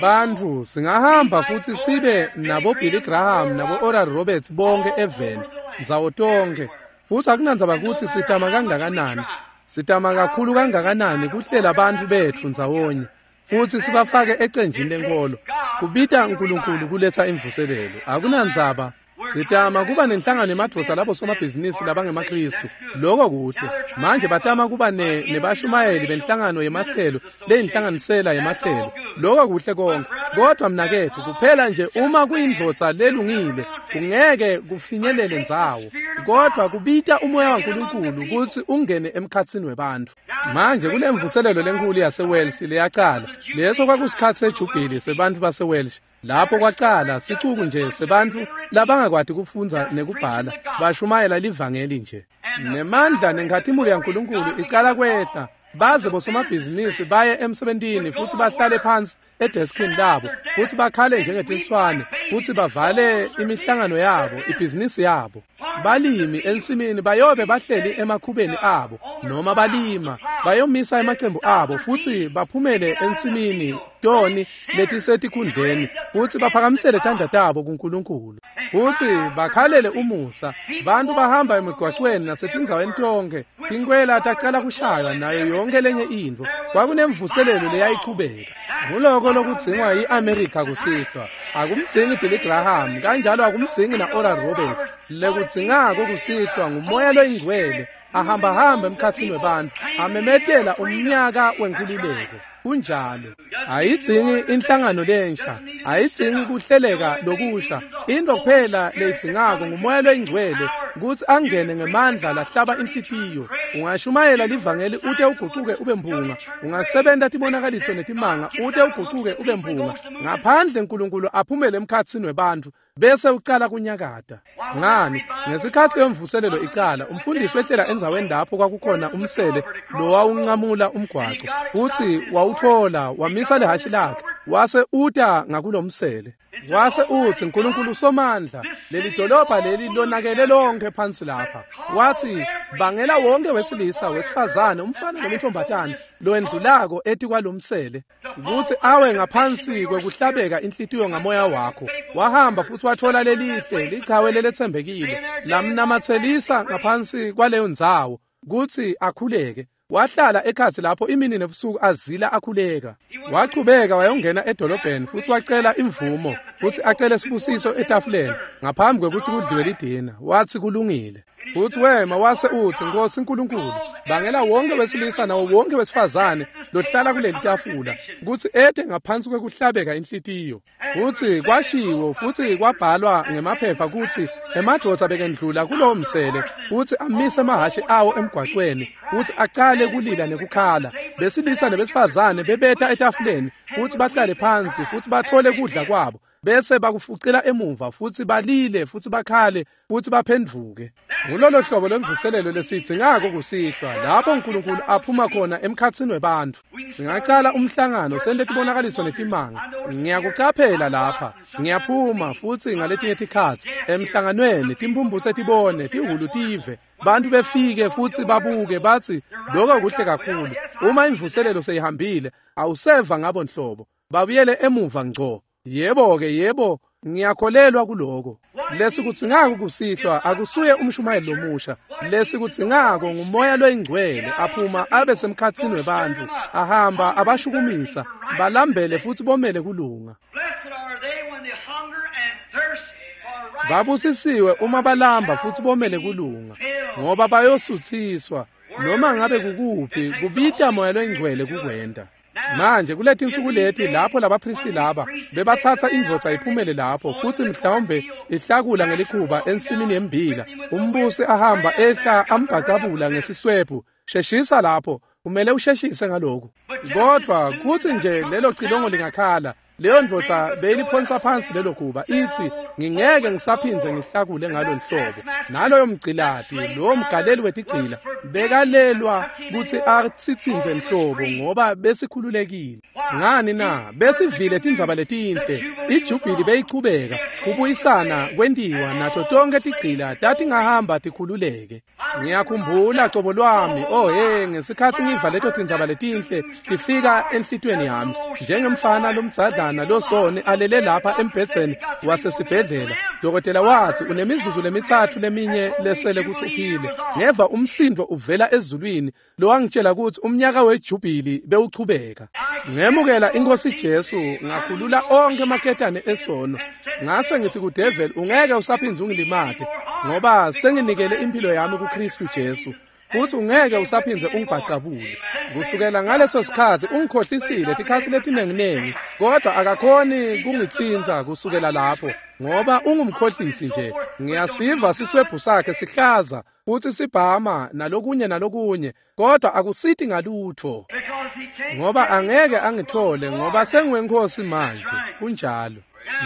Speaker 1: Bantfu singahamba futsi sibe nabo Billy Graham nabo Oral Roberts bonke eveni ndzawo tonke. Futsi akunandzaba kutsi sitama kangakanani, sitama kakhulu kangakanani kuhlela bantfu betfu ndzawonye futsi sibafake ecenjini lenkolo. Kubita uNkulunkulu kuletsa imvuselelo. Akunandzaba. Sitama kuba nenhlangano yemadvodza labo somabhizinisi labangemaKristu. Lokho kuhle. Manje batama kuba nebashumayeli benhlangano yemahlelo leyinhlanganisela yemahlelo. Lokho kuhle konke. Kodwa mnaketfu kuphela nje uma kuyindvodza lelungile kungeke kufinyelele ndzawo. Kodwa kubita umoya waNkulunkulu kutsi ungene emkhatsini webantfu. Manje kulemvuselelo lenkulu yaseWelsh leyacala. Leso kwakusikhatsi sejubhili sebantfu baseWelsh. Lapho kwacala sicuku nje sebantfu labangakwati kufundza nekubhala bashumayela livangeli nje. Nemandla nenkhatimulo yaNkulunkulu icala kwehla. Baze bosomabhizinisi baye emsebentini futsi bahlale phansi edeskini labo futsi bakhale njengetinswane futsi bavale imihlangano yabo, ibhizinisi yabo. Balimi ensimini bayobe bahleli emakhubeni abo noma balima, bayomisa emacembu abo futsi baphumele ensimini toni letisetikhundleni futsi baphakamisele tandla tabo kuNkulunkulu futsi bakhalele umusa. Bantu bahamba emigwacweni nasetindzaweni tonke, tinkwela tacala kushaywa nayo yonke lenye intfo. Kwakunemvuselelo leyayichubeka. Nguloko lokudzingwa yi-Amerika kusihlwa. Akumdzingi Billy Graham, kanjalo akumdzingi na-Oral Roberts. Lekudzingako kusihlwa ngumoya loyingcwele ahambahamba emkhatsini webantfu amemetela umnyaka wenkhululeko. Kunjalo. Ayidzingi inhlangano lensha, ayidzingi kuhleleka lokusha. Into kuphela leyidzingako ngumoya loyingcwele kutsi angene ngemandla lahlaba inhlitiyo. Ungashumayela livangeli ute ugucuke ube mphunga, ungasebenta tibonakaliso netimanga ute ugucuke ube mphunga. Ngaphandle uNkulunkulu aphumele emkhatsini webantfu bese ucala kunyakata. Ngani? Ngesikhatsi yemvuselelo icala, umfundisi wehlela endzaweni lapho kwakukhona umsele lowawuncamula umgwaco. Futsi wawutfola, wamisa lihhashi lakhe, wase uta ngakulomsele. Wase utsi, "Nkulunkulu Somandla, leli dolobha leli lonakele lonke phansi lapha." Watsi, "Bangela wonke wesilisa, wesifazane, umfana noma intombatane lowendlulako etikwalomsele kutsi awe ngaphansi kwekuhlabeka inhlitiyo ngamoya wakho." Wahamba futhi wathola lelihle lichawe leletsembekile, lamnamatselisa ngaphansi kwaleyo ndzawo kutsi akhuleke. Wahlala ekhatsi lapho imini nebusuku azila akhuleka. Wachubeka wayongena edolobheni futhi wacela imvumo kutsi acele sibusiso etafuleni ngaphambi kwekutsi kudliwe lidina. Watsi kulungile. Futhi wema wase utsi, "Nkosi Nkulunkulu, bangela wonke wesilisa nawo wonke wesifazane lohlala kuleli tafula kutsi ete ngaphansi kwekuhlabeka inhlitiyo." Futsi kwashiwo futhi kwabhalwa ngemaphepha kutsi emadvodza bekendlula kulowo msele kutsi amise emahhashi awo emgwaqweni kutsi acale kulila nekukhala. Besilisa nebesifazane bebeta etafuleni kutsi bahlale phansi futhi bathole kudla kwabo, bese bakufucela emuva futhi balile futhi bakhale futhi baphendvuke. Ngulolo hlobo lwemvuselelo lesidzingako kusihlwa, lapho uNkulunkulu aphuma khona emkhatsini webantfu. Singacala umhlangano sente tibonakaliso netimanga. Ngiyakucaphela lapha, ngiyaphuma futhi ngaletinye tikhatsi emhlanganweni timphumphutse tibone, tihhulu tive, bantu befike futhi babuke batsi lokho kuhle kakhulu. Uma imvuselelo seyihambile awuseva ngabo nhlobo, babuyele emuva ngco. Yebo-ke, yebo, ngiyakholelwa kuloko. Lesikudzingako kusihlwa akusuye umshumayeli lomusha. Lesikudzingako ngumoya loyingcwele aphuma abe semkhatsini webantfu, ahamba abashukumisa, balambele futhi bomele kulunga. Babusisiwe uma balamba futhi bomele kulunga, ngoba bayosuthiswa. Noma ngabe kukuphi, kubita moya loyingcwele kukwenta. Manje kuletinsuku leti lapho labaphristi laba bebathatha indvodza iphumele lapho futhi mhlawumbe ihlakula ngelikhuba ensimini yembila, umbusi ahamba ehla ambhacabula ngesiswebhu. Sheshisa lapho, kumele usheshise ngalokhu. Kodwa kutsi nje lelo cilongo lingakhala, leyo ndvodza beyiliphonsa phansi lelo khuba itsi, "Ngingeke ngisaphindze ngihlakule ngalo nhlobo." Naloyo mgcilati, lowo mgaleli wetigcila, bekalelwa kutsi asitsintse nhlobo ngoba besikhululekile. Ngani na? Besivile tindzaba letinhle, ijubhili beyichubeka, kubuyisana kwentiwa, nato tonke tigcila tatingahamba tikhululeke. Ngiyakhumbula cobo lwami, oh hey, ngesikhatsi ngiva leto tindzaba letinhle tifika enhlitiyweni yami, njengemfana lomdzadlana losoni alele lapha embhedzeni wasesibhedlela. Dokotela watsi unemizuzu lemithathu leminye lesele kutsi uphile. Ngeva umsindvo uvela ezulwini lowangitshela kutsi umnyaka wejubhili bewuchubeka. Ngemukela iNkosi Jesu, ngakhulula onke emaketane esono. Ngase ngithi kudeveli, "Ungeke usaphindze ungilimate, ngoba senginikele impilo yami kuKristu Jesu, futhi ungeke usaphindze ungibhacabule." Kusukela ngaleso sikhatsi ungikhohlisile tikhatsi letinenginengi, kodwa akakhoni kungitsintsa kusukela lapho, ngoba ungumkhohlisi nje. Ngiyasiva siswebhu sakhe sihlaza futhi sibhama nalokunye nalokunye, kodwa akusiti ngalutho, ngoba angeke angithole, ngoba sengiwenkosi manje. Kunjalo.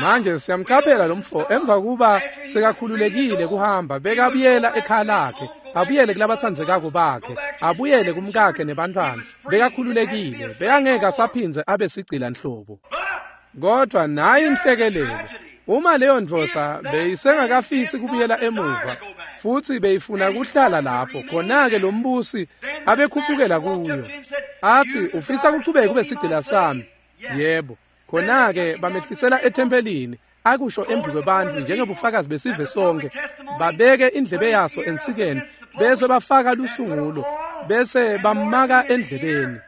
Speaker 1: Manje siyamcaphela lo mfo emva kuba sekakhululekile kuhamba, bekabuyela ekhaya lakhe, abuyele kulabatsandzekako bakhe, abuyele kumkakhe nebantfwana. Bekakhululekile, bekangeke asaphindze abe sigcila nhlobo. Kodwa nayi inhlekelele, uma leyo ndvodza beyisengakafisi kubuyela emuva futhi beyifuna kuhlala lapho, khona-ke lo mbusi abekhuphukela kuyo athi, "Ufisa kuchubeka kube sigcila sami?" Yebo. Khona-ke bamehlisela ethempelini, akusho embi kwebantfu njengebufakazi besive sonke, babeke indlebe yaso ensikeni, bese bafaka lusungulo, bese bamaka endlebeni.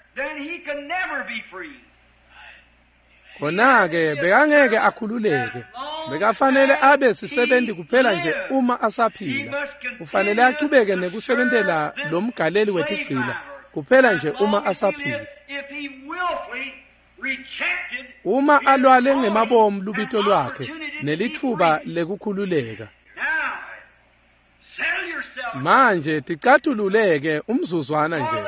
Speaker 1: Khona-ke bekangeke akhululeke, bekafanele abe sisebenti kuphela nje uma asaphila. Ufanele achubeke nekusebentela lo mgaleli wetigcila kuphela nje uma asaphila. Uma alwale ngemabomu lubito lwakhe nelitfuba lekukhululeka. Manje ticatululeke umzuzwana nje.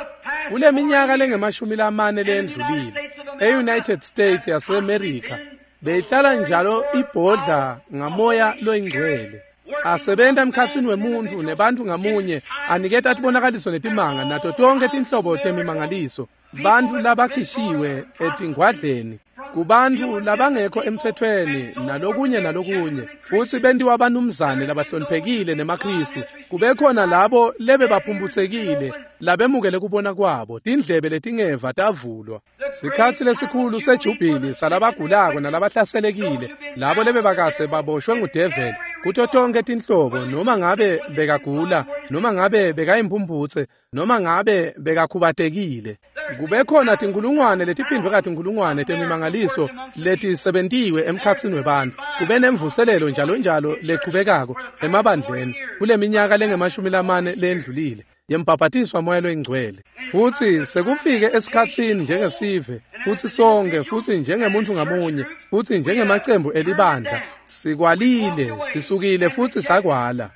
Speaker 1: Kule minyaka lengemashumi lamane lendlulile e-United States yaseMerica beyihlala njalo ibhodla ngamoya loyingcwele, asebenta emkhatsini wemuntfu nebantfu ngamunye, aniketa tibonakaliso netimanga nato tonke tinhlobo temimangaliso, bantfu labakhishiwe etingwadleni. Kubantfu labangekho emtsetfweni nalokunye nalokunye, kutsi bentiwa banumzane labahloniphekile nemaKhristu. Kube khona labo lebebaphumputsekile labemukele kubona kwabo, tindlebe letingeva tavulwa. Sikhatsi lesikhulu sejubhili salabagulako nalabahlaselekile, labo lebebakadze baboshwe ngudeveli kuto tonkhe tinhlobo, noma ngabe bekagula, noma ngabe bekayimphumphutse, noma ngabe bekakhubatekile. Kube khona tinkulungwane letiphindvwe katinkulungwane temimangaliso letisebentiwe emkhatsini webantfu. Kube nemvuselelo njalo njalo lechubekako emabandleni kuleminyaka lengemashumi lamane lendlulile yembhabhatiswa Moya loyiNgcwele. Futsi sekufike esikhatsini njengesive, futsi sonke, futsi njengemuntfu ngamunye, futsi njengemacembu elibandla, sikwalile, sisukile futsi sakwala.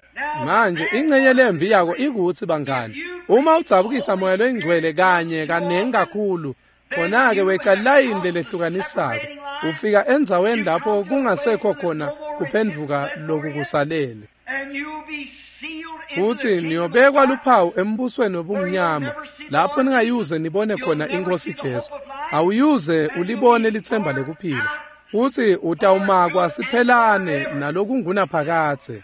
Speaker 1: Manje ingcenye lembi yako ikutsi, bangani, uma udzabukisa Moya loyiNgcwele kanye kanengi kakhulu, khona-ke weca layini lelehlukanisako, ufika endzaweni lapho kungasekho khona kuphendvuka lokukusalele. Futsi niyobekwa luphawu embusweni wobumnyama, lapho ningayuze nibone khona iNkhosi Jesu. Awuyuze ulibone litsemba lekuphila, futsi utawumakwa siphelane nalokungunaphakadze.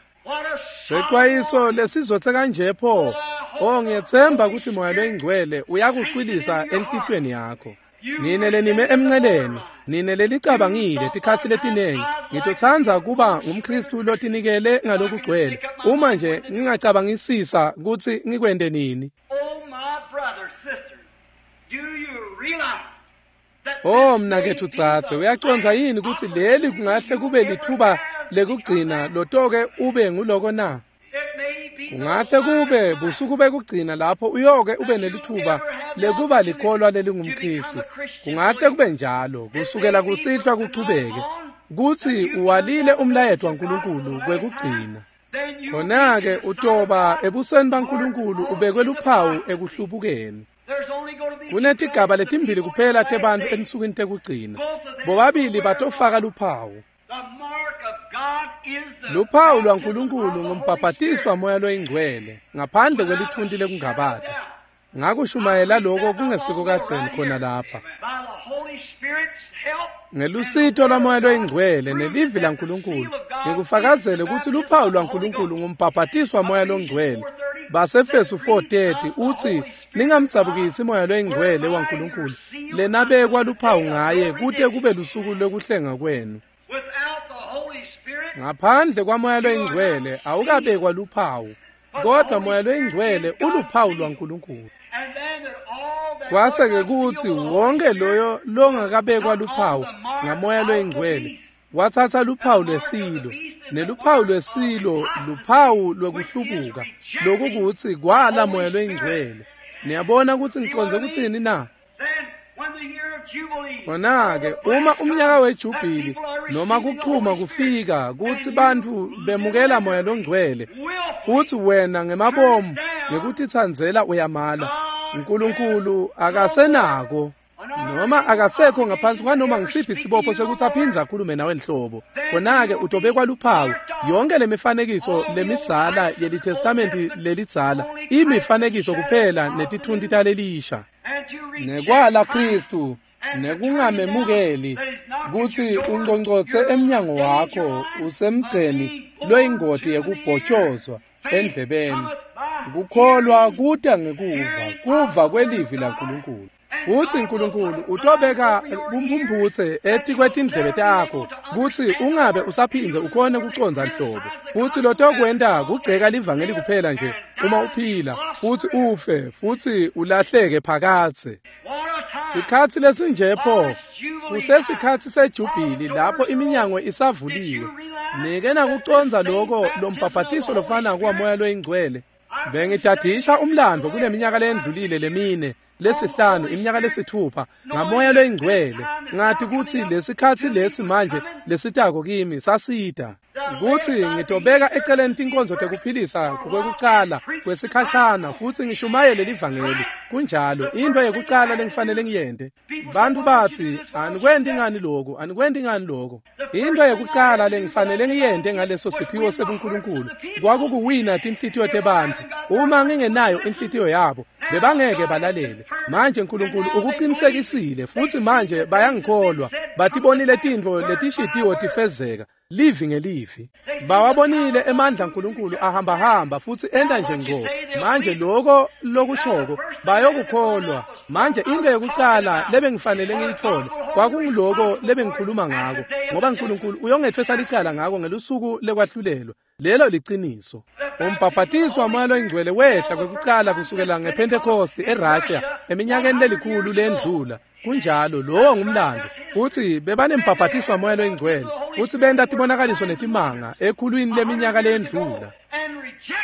Speaker 1: Secwayiso lesizothe kanje pho! O, ngiyetsemba kutsi Moya loyiNgcwele uyakucwilisa enhlitiyweni yakho. Nine lenime emnceleni, nine lelicabangile tikhatsi letinengi, ngitotsandza kuba ngumKhristu lotinikele ngalokugcwele, uma nje ngingacabangisisa kutsi ngikwente nini.
Speaker 2: Oh, my brothers, sisters, do you realize that
Speaker 1: Oh
Speaker 2: this
Speaker 1: mnaketfu
Speaker 2: may be
Speaker 1: dzadze,
Speaker 2: the
Speaker 1: uyacondza
Speaker 2: last
Speaker 1: yini kutsi leli kungahle kube litfuba lekugcina lotoke ube nguloko na?
Speaker 2: It may be the
Speaker 1: Kungahle kube
Speaker 2: last
Speaker 1: busuku bekugcina lapho uyoke ube nelitfuba lekuba likholwa lelingumKhristu. Kungahle kube njalo kusukela kusihlwa kuchubeke, kutsi uwalile umlayeto waNkulunkulu kwekugcina.
Speaker 2: Then you
Speaker 1: Khona-ke utoba ebusweni baNkulunkulu ubekwe luphawu ekuhlubukeni.
Speaker 2: There's only going to be
Speaker 1: Kunetigaba letimbili kuphela tebantfu ensukwini tekugcina. Bobabili batofaka luphawu.
Speaker 2: The mark of God is the
Speaker 1: Luphawu
Speaker 2: baptism
Speaker 1: lwaNkulunkulu
Speaker 2: of the Holy
Speaker 1: ngumbhabhatiswa
Speaker 2: Spirit.
Speaker 1: Moya loyiNgcwele ngaphandle kwelitfunti lekungabata. Ngakushumayela loko kungesiko kadzeni khona lapha.
Speaker 2: By the Holy Spirit's help
Speaker 1: Ngelusito lwaMoya loyiNgcwele nelivi laNkulunkulu, ngikufakazele kutsi luphawu lwaNkulunkulu ngumbhabhatiswa Moya loNgcwele. Basefesu 4:30 utsi ningamdzabukisi Moya loyiNgcwele waNkulunkulu, lenabekwa luphawu ngaye kute kube lusuku lwekuhlenga kwenu.
Speaker 2: Without the Holy Spirit,
Speaker 1: Ngaphandle kwaMoya loyiNgcwele awukabekwa luphawu, kodwa Moya loyiNgcwele uluphawu lwaNkulunkulu.
Speaker 2: and then that all that
Speaker 1: Kwase-ke
Speaker 2: was not
Speaker 1: kutsi
Speaker 2: sealed with the
Speaker 1: wonke
Speaker 2: Holy Spirit
Speaker 1: loyo longakabekwa luphawu ngaMoya loyiNgcwele watsatsa luphawu lwesilo, neluphawu lwesilo luphawu lwekuhlubuka, lokukutsi kwala Moya loyiNgcwele. Niyabona kutsi ngicondze kutsini na?
Speaker 2: Then when the year of Jubilee,
Speaker 1: Khona-ke uma umnyaka wejubhili noma kuchuma kufika kutsi bantfu bemukela Moya loNgcwele, futsi wena ngemabomu ngekutitsandzela uyamala, Nkulunkulu akasenako noma akasekho ngaphansi kwanoma ngisiphi sibopho sekutsi aphindze akhulume nawe nhlobo. Khona-ke utobekwa luphawu. Yonke lemifanekiso lemidzala yeliTestamenti lelidzala imifanekiso kuphela netitfunti talelisha.
Speaker 2: and to reject
Speaker 1: Nekwala
Speaker 2: Christ
Speaker 1: Khristu nekungamemukeli kutsi unconcotse emnyango wakho usemgceni loyingoti yekubhotshozwa endlebeni. Kukholwa kuta ngekuva, kuva kwelivi laNkulunkulu. Futsi Nkulunkulu utobeka bumphumputse etikwetindlebe takho kutsi ungabe usaphindze ukhone kucondza nhlobo. Futsi lotokwenta kugceka livangeli kuphela nje uma uphila, futsi ufe, futsi ulahleke phakadze.
Speaker 2: What a time.
Speaker 1: Sikhatsi lesinje pho, kusesikhatsi sejubhili lapho iminyango isavuliwe. Nike nakucondza loko lombhabhatiso lofana kwaMoya loyiNgcwele. Bengitadisha umlandvo kuleminyaka lendlulile lemine, lesihlanu, iminyaka lesithupha ngaMoya loyiNgcwele. Ngathi kutsi lesikhatsi lesi manje lesitako kimi sasita kutsi ngitobeka eceleni tinkonzo tekuphilisa kwekucala kwesikhashana futsi ngishumayele livangeli. Kunjalo, intfo yekucala lengifanele ngiyente. Bantfu batsi anikwenti ngani loku, anikwenti ngani loko. Intfo yekucala lengifanele ngiyente ngaleso siphiwo sebuNkulunkulu kwakukuwina tinhlitiyo tebantfu. Uma ngingenayo inhlitiyo yabo, Bebangeke balalele. Manje Nkulunkulu ukuqinisekisile futhi manje bayangikholwa. Batibonile tintfo letishitiwo tifezeka livi ngelivi. Bawabonile emandla Nkulunkulu ahamba-hamba futhi enta nje ngco. Manje lokho lokushoko bayokukholwa. Manje into yokucala lebengifanele ngiyithole kwakungiloko lebengikhuluma ngako, ngoba Nkulunkulu uyongethwesa licala ngako ngelusuku lekwahlulelwa. Lelo liciniso. Umbhaphatiswa waMoya loyiNgcwele wehla kwekucala kusukela ngePhentekosti eRussia eminyakeni lelikhulu lendlula. Kunjalo, lowo ngumlando. Uthi bebanembhaphatiswa waMoya loyiNgcwele futhi benta tibonakaliso netimanga ekhulwini leminyaka lendlula.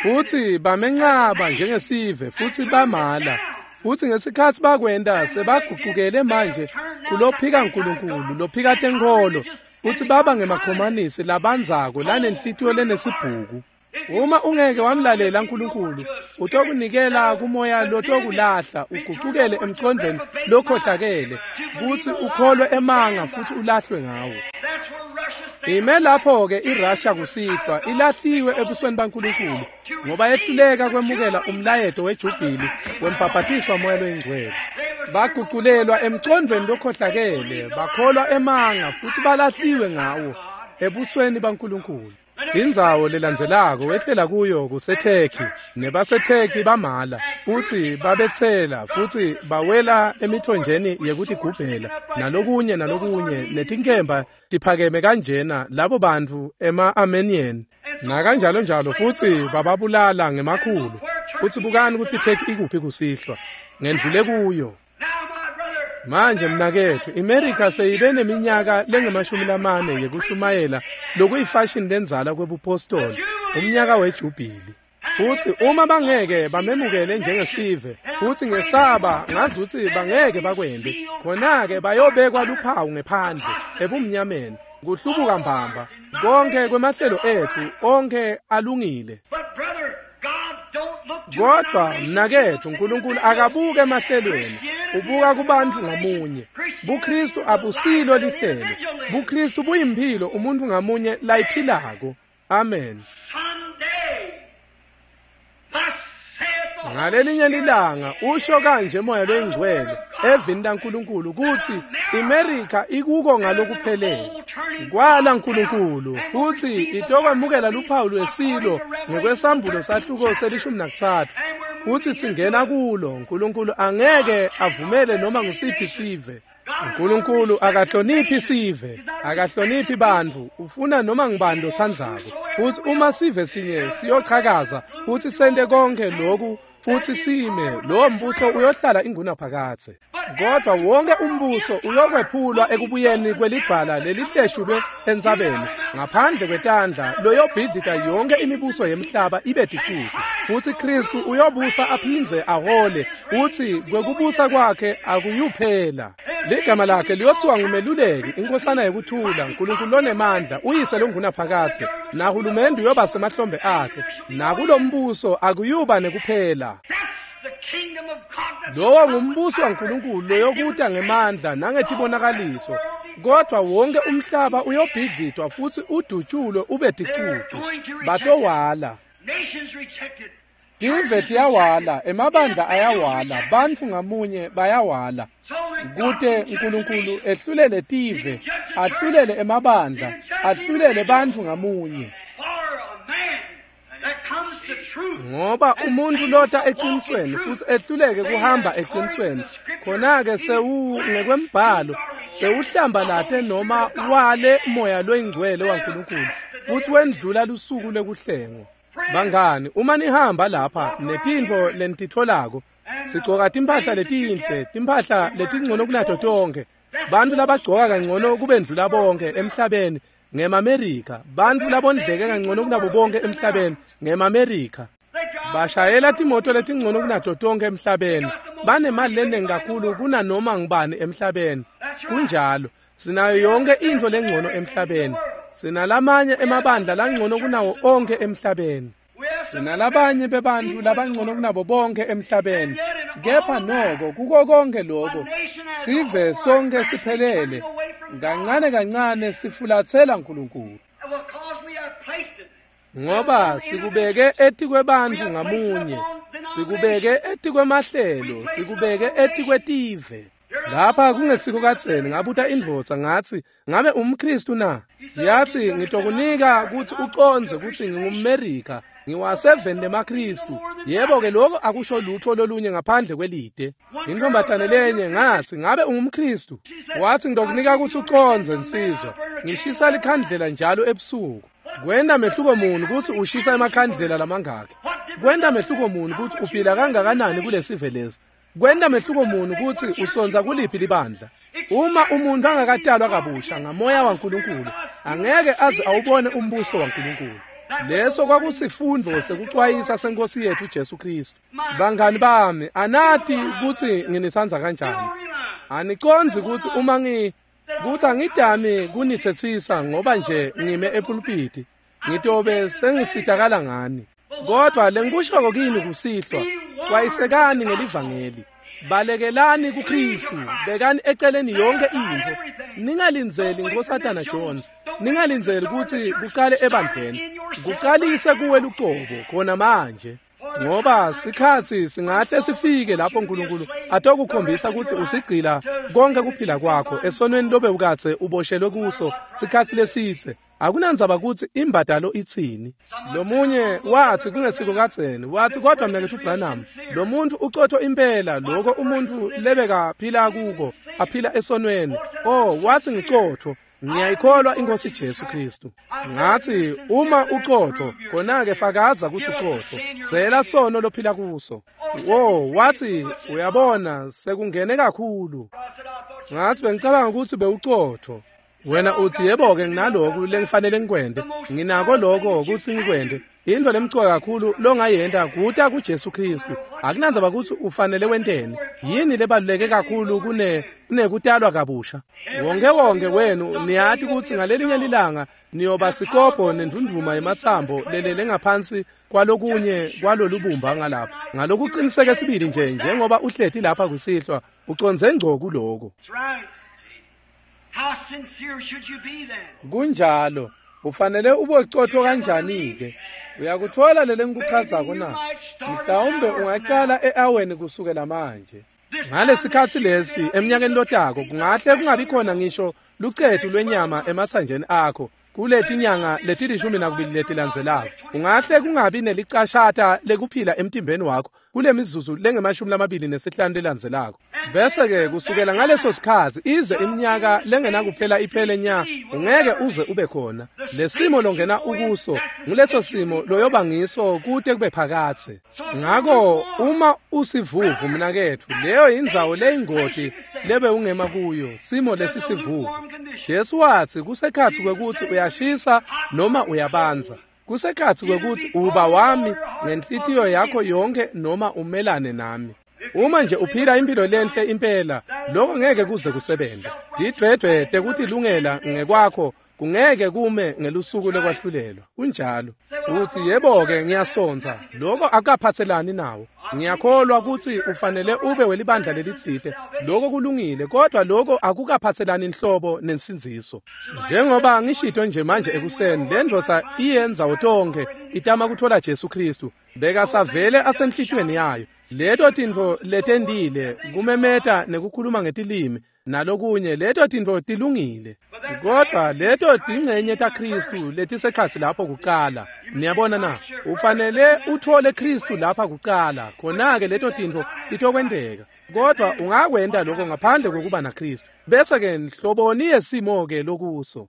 Speaker 1: Futhi bamencaba njengesive futhi bamala. Futhi ngesikhathi bakwenda sebaguqukele manje kulophika uNkulunkulu, lophika tenkholo, futhi baba ngemakhomanisi labanzako lanenhlitiyo lenesibhuku. Uma ungeke wamlalela uNkulunkulu, utokunikela kumoya lotokulahla uguqukele emqondweni lokhohlakele, kuthi ukholwe emanga futhi ulahlwe ngawo. Ime lapho-ke iRussia kusihlwa ilahliwe ebusweni baNkulunkulu ngoba yehluleka kwemukela umlayeto wejubhili wembhaphatiswa Moya loyiNgcwele. Baguqulelwa emqondweni lokhohlakele, bakholwa emanga futhi balahliwe ngawo ebusweni baNkulunkulu. Indzawo lelandzelako wehlela kuyo kuseTurkey, nebaseTurkey bamala futhi babetsela futhi bawela emithonjeni yekutigubhela nalokunye nalokunye, netinkemba tiphakeme kanjena labo bantfu ema-Armenian nakanjalo njalo, futhi bababulala ngemakhulu. Futhi bukani ukuthi iTurkey ikuphi kusihlwa, ngendlule kuyo. Manje mnaketfu, iMerica seyibe neminyaka lengamashumi lamane yekushumayela lokuyifashini lenzala kwebupostoli, umnyaka wejubhili. Futhi uma bangeke bamemukele njengesive, futhi ngesaba ngazuthi bangeke bakwente, khona-ke bayobekwa luphawu ngephandle ebumnyameni, kuhlubuka mbamba. Konke kwemahlelo etfu onke alungile. Kodwa mnaketfu, uNkulunkulu akabuke emahlelweni, ubuka kubantu ngamunye. BuKristu abusilo lihlelo. BuKristu buyimphilo umuntu ngamunye layiphilako. Amen. Ngalelinye lilanga usho kanje Moya loyiNgcwele evini laNkulunkulu kuthi iMerica ikuko ngalokuphelele kwala Nkulunkulu, futhi itokwemukela luphawu lwesilo ngekwesambulo sahluko se-13, futhi singena kulo. Nkulunkulu angeke avumele noma ngusiphi sive. Nkulunkulu akahloniphi sive, akahloniphi bantfu, ufuna noma ngubani lotsandzako. Futhi uma sive sinye siyochakaza futhi sente konke lokhu futhi sime, lowo mbuso uyohlala ingunaphakadze. Kodwa wonke umbuso uyokwephulwa ekubuyeni kwelidvwala lelihleshulwe entsabeni ngaphandle kwetandla, loyobhidlita yonke imibuso yemhlaba ibe ticucu. Futhi Kristu uyobusa aphindze ahole, uthi kwekubusa kwakhe akuyuphela. Ligama lakhe liyothiwa ngumeluleki, inkosana yekuthula, Nkulunkulu lonemandla, uyise longunaphakadze, nahulumende uyoba semahlombe akhe, nakulombuso akuyuba nekuphela. Lowo ngumbuso waNkulunkulu loyokuta ngemandla nangetibonakaliso, kodwa wonke umhlaba uyobhidlitwa futhi udutshulwe ube ticucu. Batowala. Tive tiyawala, emabandla ayawala, bantfu ngamunye bayawala. Kute Nkulunkulu ehlulele tive, ahlulele emabandla, ahlulele bantfu ngamunye. Ngoba umuntu lota eqinisweni futhi ehluleke kuhamba eqinisweni, khona-ke ngekwembhalo sewuhlambalate noma wale Moya loyiNgcwele waNkulunkulu futhi wendlula lusuku lwekuhlengwa. Bangani, uma nihamba lapha netintfo lenititfolako, sigcoka timphahla letinhle, timphahla letingcono kunato tonkhe. Bantfu labagcoka kangcono kubendlula bonke emhlabeni ngemaMerika, bantfu labondleke kangcono kunabo bonke emhlabeni ngemaMerika. Bashayela timoto letingcono kunato tonke emhlabeni, banemali lenengi kakhulu kunanoma ngubani emhlabeni. Kunjalo, sinayo yonke intfo lengcono emhlabeni. Sinalamanye emabandla langcono kunawo onke emhlabeni. Sinalabanye bebantfu labangcono kunabo bonke emhlabeni. Kepha noko kuko konke lokho, sive sonke siphelele kancane kancane sifulatsela Nkulunkulu. Ngoba sikubeke etikwebantfu ngamunye. Sikubeke etikwemahlelo, sikubeke etikwetive. Lapha kungesiko kadzeni ngabuta indvodza ngatsi, ngabe umKristu na? Yathi ngitokunika kutsi ucondze kutsi ngingumMerika, ngiwaseveni lemaKristu. Yebo-ke lokho akusho lutho lolunye ngaphandle kwelide. Intombatane lenye ngathi, ngabe ungumKristu? Wathi ngitokunika kutsi ucondze nsizwa, ngishisa likhandlela njalo ebusuku. Kwenta mehluko muni kutsi ushisa emakhandlela lamangaki? Kwenta mehluko muni kutsi uphila kangakanani kulesive lesi? Kwenta mehluko muni kutsi usonza kuliphi libandla? Uma umuntu angakatalwa kabusha ngamoya waNkulunkulu, angeke aze awubone umbuso waNkulunkulu. Leso kwakusifundo sekucwayisa senkosi yethu Jesu Kristu. Bangani bami, anati kutsi nginitsandza kanjani. Anicondzi kutsi uma kutsi angidami kunitsetsisa ngoba nje ngime epulpiti, ngitobe sengisitakala ngani. Kodwa lengikushoko kini kusihlwa, cwayisekani ngelivangeli. Balekelani kuKristu, bekani eceleni yonke intfo. Ningalindzeli Nkosatana Jones, ningalindzeli kutsi kucale ebandleni. Kucalise kuwe lucobo khona manje. Ngoba sikhatsi singahle sifike lapho uNkulunkulu atokukhombisa kutsi usigcila konke kuphila kwakho esonweni lobe ukatse uboshelwe kuso sikhatsi lesitse. Akunandzaba kutsi imbadalo itsini. Lomunye wathi kungesiko kadzeni, wathi kodwa mnaketfu Branham, lo muntu ucotho impela lokho umuntu lebeka phila kuko, aphila esonweni. Oh, wathi ngicotho, ngiyayikholwa inkosi Jesu Kristu. Ngathi uma ucotho, khona-ke fakaza kutsi ucotho, tsela sono lophila kuso. Oh, wathi uyabona sekungene kakhulu. Ngathi bengicabanga ukuthi bewucotho. Wena uthi yebo-ke nginaloku lengifanele ngikwente, nginako lokho kutsi ngikwente. Into lemcoka kakhulu longayenta kuta kuJesu Kristu. Akunandzaba kutsi ufanele wenteni. Yini lebaluleke kakhulu kunekutalwa kabusha? Wonke wonke wenu niyati kutsi ngalelinye lilanga niyoba sikobho nendvundvuma yematsambo lelele ngaphansi kwalokunye kwalolubumba ngalapha. Ngalokuqiniseke sibili nje njengoba uhleti lapha kusihlwa, ucondze ngco kuloko.
Speaker 2: How sincere should you be then?
Speaker 1: Kunjalo, ufanele ube cotho kanjani-ke? Uyakuthola lele ngikuchazako na? Mhlawumbe ungacala e-aweni kusukela manje. Ngalesikhatsi lesi eminyakeni lotako kungahle kungabi khona ngisho lucetu lwenyama emathanjeni akho kuletinyanga leti-12 letilandzelako. Kungahle kungabi nelicashata lekuphila emtimbeni wakho kule mizuzu lengama-25 lelandzelako. Bese-ke kusukela ngaleso sikhatsi ize iminyaka lengenakuphela iphele nya, ungeke uze ube khona. Lesimo longena ukuso nguleso simo loyoba ngiso kute kube phakatse. Ngako uma usivuvu mnaketfu, leyo indzawo leyingoti lebe ungema kuyo, simo lesisivuvu. Jesu watsi kusekhatsi kwekutsi uyashisa noma uyabanza. Kusekhatsi kwekutsi uba wami ngenhlitiyo yakho yonke noma umelane nami. Uma nje uphila impilo lenhle impela, lokho ngeke kuze kusebenze. Tidvwedvwe tekutilungela ngekwakho kungeke kume ngelusuku lokwahlulelwa. Kunjalo. Uthi yebo-ke ngiyasonza, lokho akukaphatselani nawo. Ngiyakholwa kutsi ufanele ube welibandla lelitsite. Lokho kulungile, kodwa lokho akukaphatselani nhlobo nensindziso. Njengoba ngishito nje manje ekuseni, le ndvodza iyendzawo tonke itama kuthola Jesu Kristu. Bekasavele asenhlitiyweni yayo. Leto tintfo letendile, kumemeta nekukhuluma ngetilimi nalokunye, leto tintfo tilungile. Kodwa leto tingcenye taKristu letisekhatsi lapho kucala. Niyabona na? Ufanele uthole Kristu lapha kucala, khona-ke leto tintfo titokwenteka. Kodwa ungakwenta lokho ngaphandle kokuba naKristu. Bese-ke nhloboni yesimo-ke lokuso.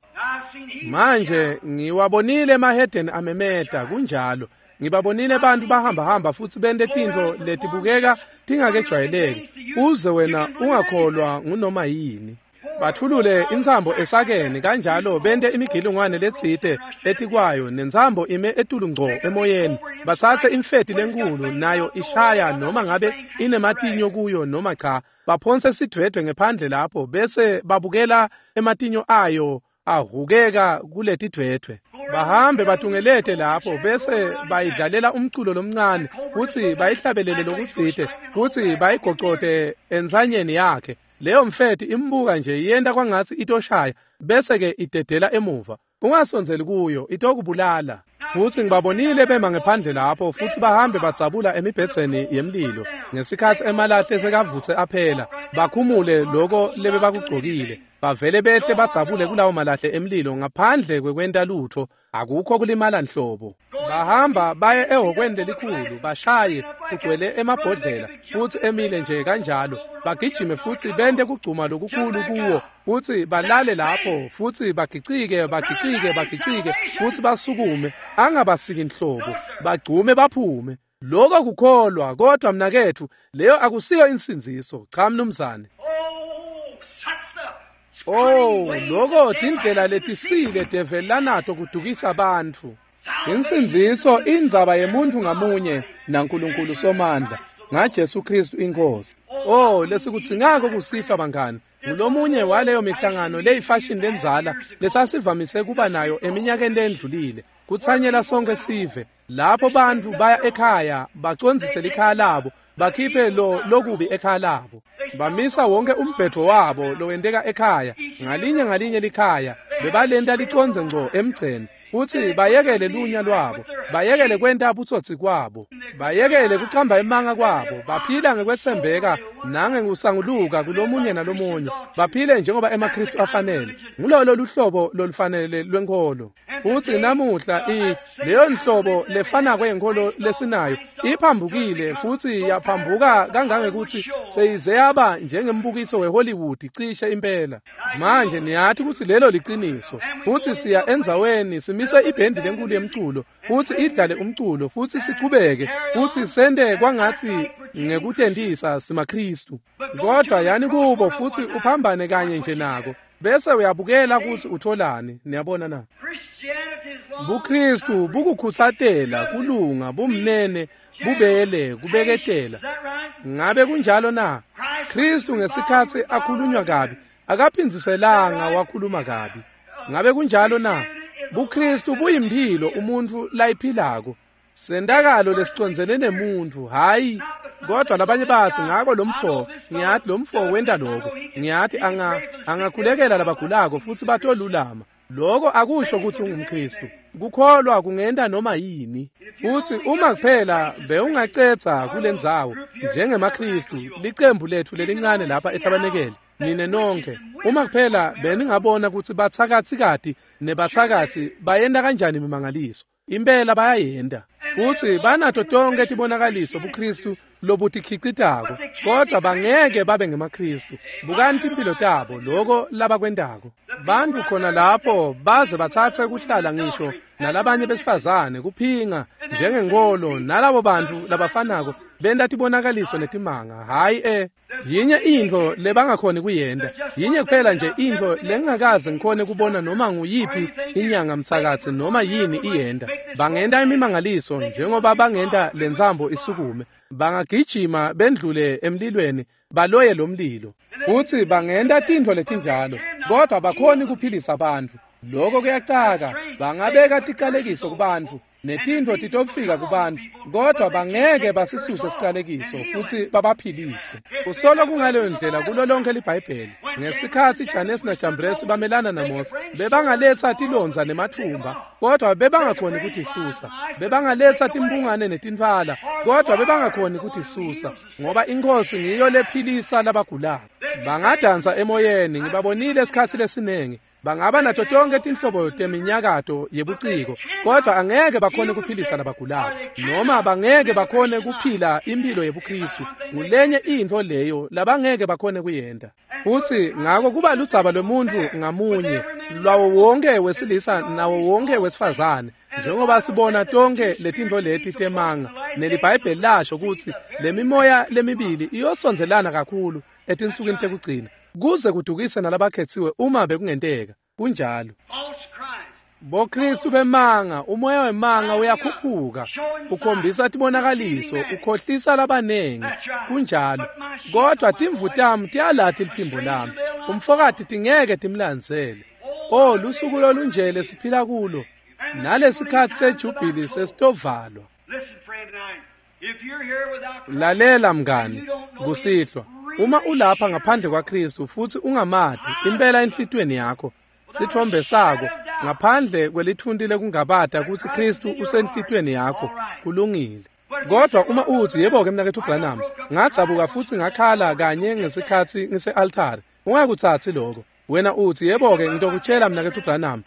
Speaker 1: Manje ngiwabonile emahedeni amemeta, kunjalo. Ngibabonile abantu bahamba-hamba futsi bente tintfo letibukeka tingakejwayeleki, uze wena ungakholwa ngunoma yini. Bathulule intsambo esakeni kanjalo bente imigilingwane letsite etikwayo, nentsambo ime etulu ngco emoyeni. Batsatse imfeti lenkulu nayo ishaya noma ngabe inematinyo kuyo noma cha, baphonse sidvwedvwe ngephandle lapho bese babukela ematinyo ayo ahukeka kuletidvwedvwe. Bahambe batungelete lapho bese bayidlalela umculo lomncane kutsi bayihlabelele lokutsite, kutsi bayigocote entsanyeni yakhe. Leyo mfeti imbuka nje yenta kwangatsi itoshaya bese-ke idedela emuva. Ungasondzeli kuyo, itokubulala. Futsi ngibabonile bema ngephandle lapho futsi bahambe badzabula emibhedzeni yemlilo ngesikhatsi emalahle sekavutse aphela, bakhumule loko lebebakugcokile, bavele behle badzabule kulawo malahle emlilo ngaphandle kwekwenta lutfo, akukho kulimala nhlobo. Bahamba baye ehhokweni lelikhulu, bashaye kugcwele emabhodlela futsi emile nje kanjalo, bagijime futsi bente kugcuma lokukhulu kuwo, futsi balale lapho futsi bagicike bagicike bagicike futsi basukume, angabasiki nhlobo, bagcume baphume. Lokho kukholwa, kodwa mnaketfu, leyo akusiyo insindziso. Cha mnumzane. Oh, lokho tindlela letisile develi lanato kudukisa bantfu. Insindziso indzaba yemuntfu ngamunye naNkulunkulu Somandla ngaJesu Kristu iNkosi. Oh, lesikudzingako kusihlwa bangani, ngulomunye waleyo mihlangano leyifashion lendzala lesasivamise kuba nayo eminyakeni lendlulile, kutsanyela sonke sive lapho bantfu baya ekhaya bacondzise likhaya labo, bakhiphe lo lokubi ekhaya labo, bamisa wonke umbhedvo wabo lowenteka ekhaya, ngalinye ngalinye likhaya bebalenta licondze ngco emgceni, futsi bayekele lunya lwabo, bayekele kwenta butsotsi kwabo, bayekele kucamba emanga kwabo, baphila ngekwetsembeka nangekusanguluka kulomunye nalomunye, baphile njengoba emaKristu afanele. Ngulolo luhlobo lolufanele lwenkholo. Futsi namuhla leyo nhlobo lefanako yenkholo lesinayo iphambukile futsi yaphambuka kangangekuthi seyize yaba njengembukiso weHollywood cishe impela. Manje niyathi kutsi lelo liciniso. Futsi siya endzaweni simise ibhendi lenkulu yemculo futsi idlale umculo futsi sichubeke futsi sente kwangatsi ngekutentisa simaKristu. Kodwa yani kubo futsi uphambane kanye nje nako, bese uyabukela kutsi utholani. Niyabona na? BuKristu bukukhutsatela kulunga, bumnene, bubele, kubeketela. Ngabe kunjalo na? Kristu ngesikhatsi akhulunywa kabi akaphindziselanga wakhuluma kabi. Ngabe kunjalo na? BuKristu buyimphilo umuntfu layiphilako, sentakalo lesicondzene nemuntfu, hayi. Kodwa labanye batsi ngako lomfo, ngiyathi lomfo wenta lokho, ngiyathi angakhulekela labagulako futsi batolulama. Lokho akusho kutsi ungumKristu. Kukholwa kungenta noma yini. Futsi uma kuphela bewungacedza kulendzawo njengemaKristu, licembu letfu lelincane lapha eTabanekeli, nine nonke, uma kuphela beningabona kutsi batsakatsikati nebatsakatsi bayenta kanjani imimangaliso, impela bayayenta. Futsi banato tonke tibonakaliso buKristu lobutikhicitako, kodwa bangeke babe ngemaKristu. Bukani timphilo tabo, loko labakwentako. Bantfu khona lapho baze batsatse kuhlala ngisho nalabanye besifazane, kuphinga njengenkolo, nalabo bantfu labafanako benta tibonakaliso netimanga. Hhayi yinye intfo lebangakhoni kuyenta, yinye kuphela nje intfo lengingakaze ngikhone kubona noma nguyiphi inyanga mtsakatsi noma yini iyenta. Bangenta imimangaliso njengoba bangenta lentsambo isukume, bangagijima bendlule emlilweni baloye lo mlilo, futsi bangenta tintfo letinjalo, kodwa bakhoni kuphilisa bantfu. Lokho kuyacaka. Bangabeka ticalekiso kubantfu netintfo titofika kubantfu, kodwa bangeke basisuse sicalekiso futsi babaphilise. Usolo kungaleyo ndlela kulo lonke liBhayibheli. Ngesikhatsi Janesi naJambresi bamelana naMose, bebangaletsa tilondza nematfumba, kodwa bebangakhoni kutisusa. Bebangaletsa timphungane netintfwala, kodwa bebangakhoni kutisusa, ngoba iNkhosi ngiyo lephilisa labagulako. Bangadansa emoyeni, ngibabonile esikhatsi lesinengi. Bangaba nato tonke tinhlobo teminyakato yebuciko, kodwa angeke bakhone kuphilisa labagulako, noma bangeke bakhone kuphila imphilo yebuKristu. Ngulenye intfo leyo labangeke bakhone kuyenta. Futsi ngako kuba ludzaba lwemuntfu ngamunye, lwawo wonke wesilisa nawo wonke wesifazane, njengoba sibona tonke letintfo leti temanga. NeliBhayibheli lasho kutsi lemimoya lemibili iyosondzelana kakhulu etinsukwini tekugcina, kuze kudukise nalabakhetsiwe uma bekungenteka. Kunjalo. BoKristu bemanga, umoya wemanga uyakhuphuka, ukhombisa tibonakaliso, ukhohlisa labanengi. Kunjalo. Kodwa timvu tami tiyalathi liphimbo lami, umfokati tingeke timlandzele. Oh, lusuku lolunje lesiphila kulo, nalesikhatsi sejubhili sesitovalwa. Lalela mngani, kusihlwa, uma ulapha ngaphandle kwaKristu futsi ungamati impela enhlitiyweni yakho, sitfombe sako ngaphandle kwelithunti lekungabata kutsi Khristu usenhlitiyweni yakho, kulungile. Kodwa uma utsi, yebo-ke mnaketfu Branham, ngadzabuka futsi ngakhala kanye ngesikhatsi ngise-altari, ungakutsatsi lokho. Wena utsi, yebo-ke ngitokutshela mnaketfu Branham,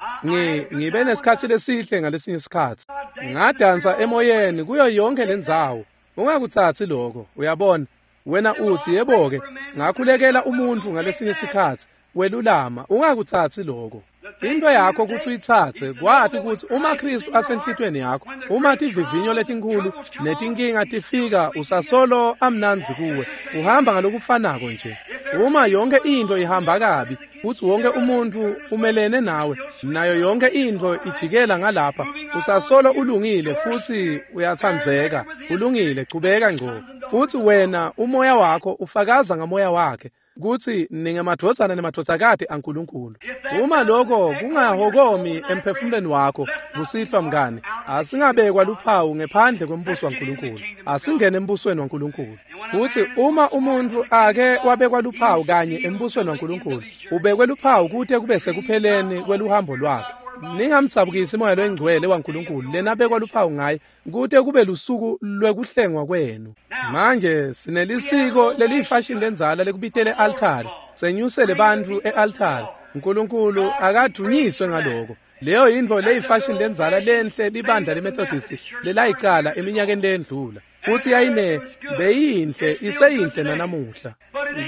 Speaker 1: ngibe nesikhatsi lesihle ngalesinye isikhatsi. Ngadansa emoyeni kuyo yonke lendzawo. Ungakutsatsi lokho, uyabona. Wena utsi, yebo-ke ngakhulekela umuntfu ngalesinye isikhatsi, welulama, ungakutsatsi lokho. Into yakho kutsi uyitsatse, kwati kutsi uma Khristu asenhlitiyweni yakho, uma tivivinyo letinkhulu netinkinga tifika, usasolo amnandzi kuwe, uhamba ngalokufanako nje. Uma yonke into ihamba kabi, futsi wonke umuntfu umelene nawe, nayo yonke into ijikela ngalapha, usasolo ulungile futsi uyatsandzeka, ulungile, chubeka ngco. Futsi wena umoya wakho ufakaza ngamoya wakhe kutsi ningemadvodzana nemadvodzakati aNkulunkulu. Uma lokho kungahokomi emphefumulweni wakho, kusihlwa mngane, asingabekwa luphawu ngephandle kwembuso waNkulunkulu. Asingene embusweni waNkulunkulu. Futsi uma umuntfu ake wabekwa luphawu kanye embusweni waNkulunkulu, ubekwe luphawu kute kube sekupheleni kweluhambo lwakhe. Ningamdzabukisi moya loyingcwele waNkulunkulu lenabekwa luphawu ngaye kute kube lusuku lwekuhlengwa kwenu. Manje sinelisiko leliyifashini lendzala lekubitele e-altari, senyusele bantfu e-altari. Nkulunkulu akadunyiswe ngaloko. Leyo yintfo leyifashini lendzala lenhle libandla leMethodist lelayicala eminyakeni leyendlula. Futsi yayine beyinhle, iseyinhle nanamuhla.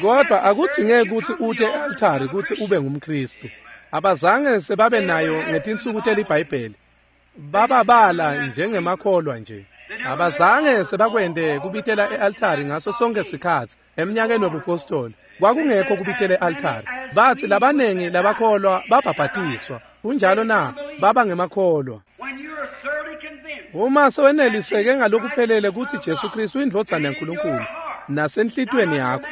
Speaker 1: Kodwa akudzingeki kutsi ute e-altari kutsi ube ngumKhristu. Abazange sebabe nayo ngetinsuku teliBhayibheli. Bababala njengemakholwa nje. Abazange sebakwente kubitela e-altari ngaso sonke sikhatsi eminyakeni wobupostoli. Kwakungekho kubitela e-altari. Batsi labanengi labakholwa babhabhatiswa. Kunjalo na? Baba ngemakholwa. Uma seweneliseke ngalokuphelele kutsi Jesu Khristu uyindvodzana yaNkulunkulu nasenhlitiyweni yakho,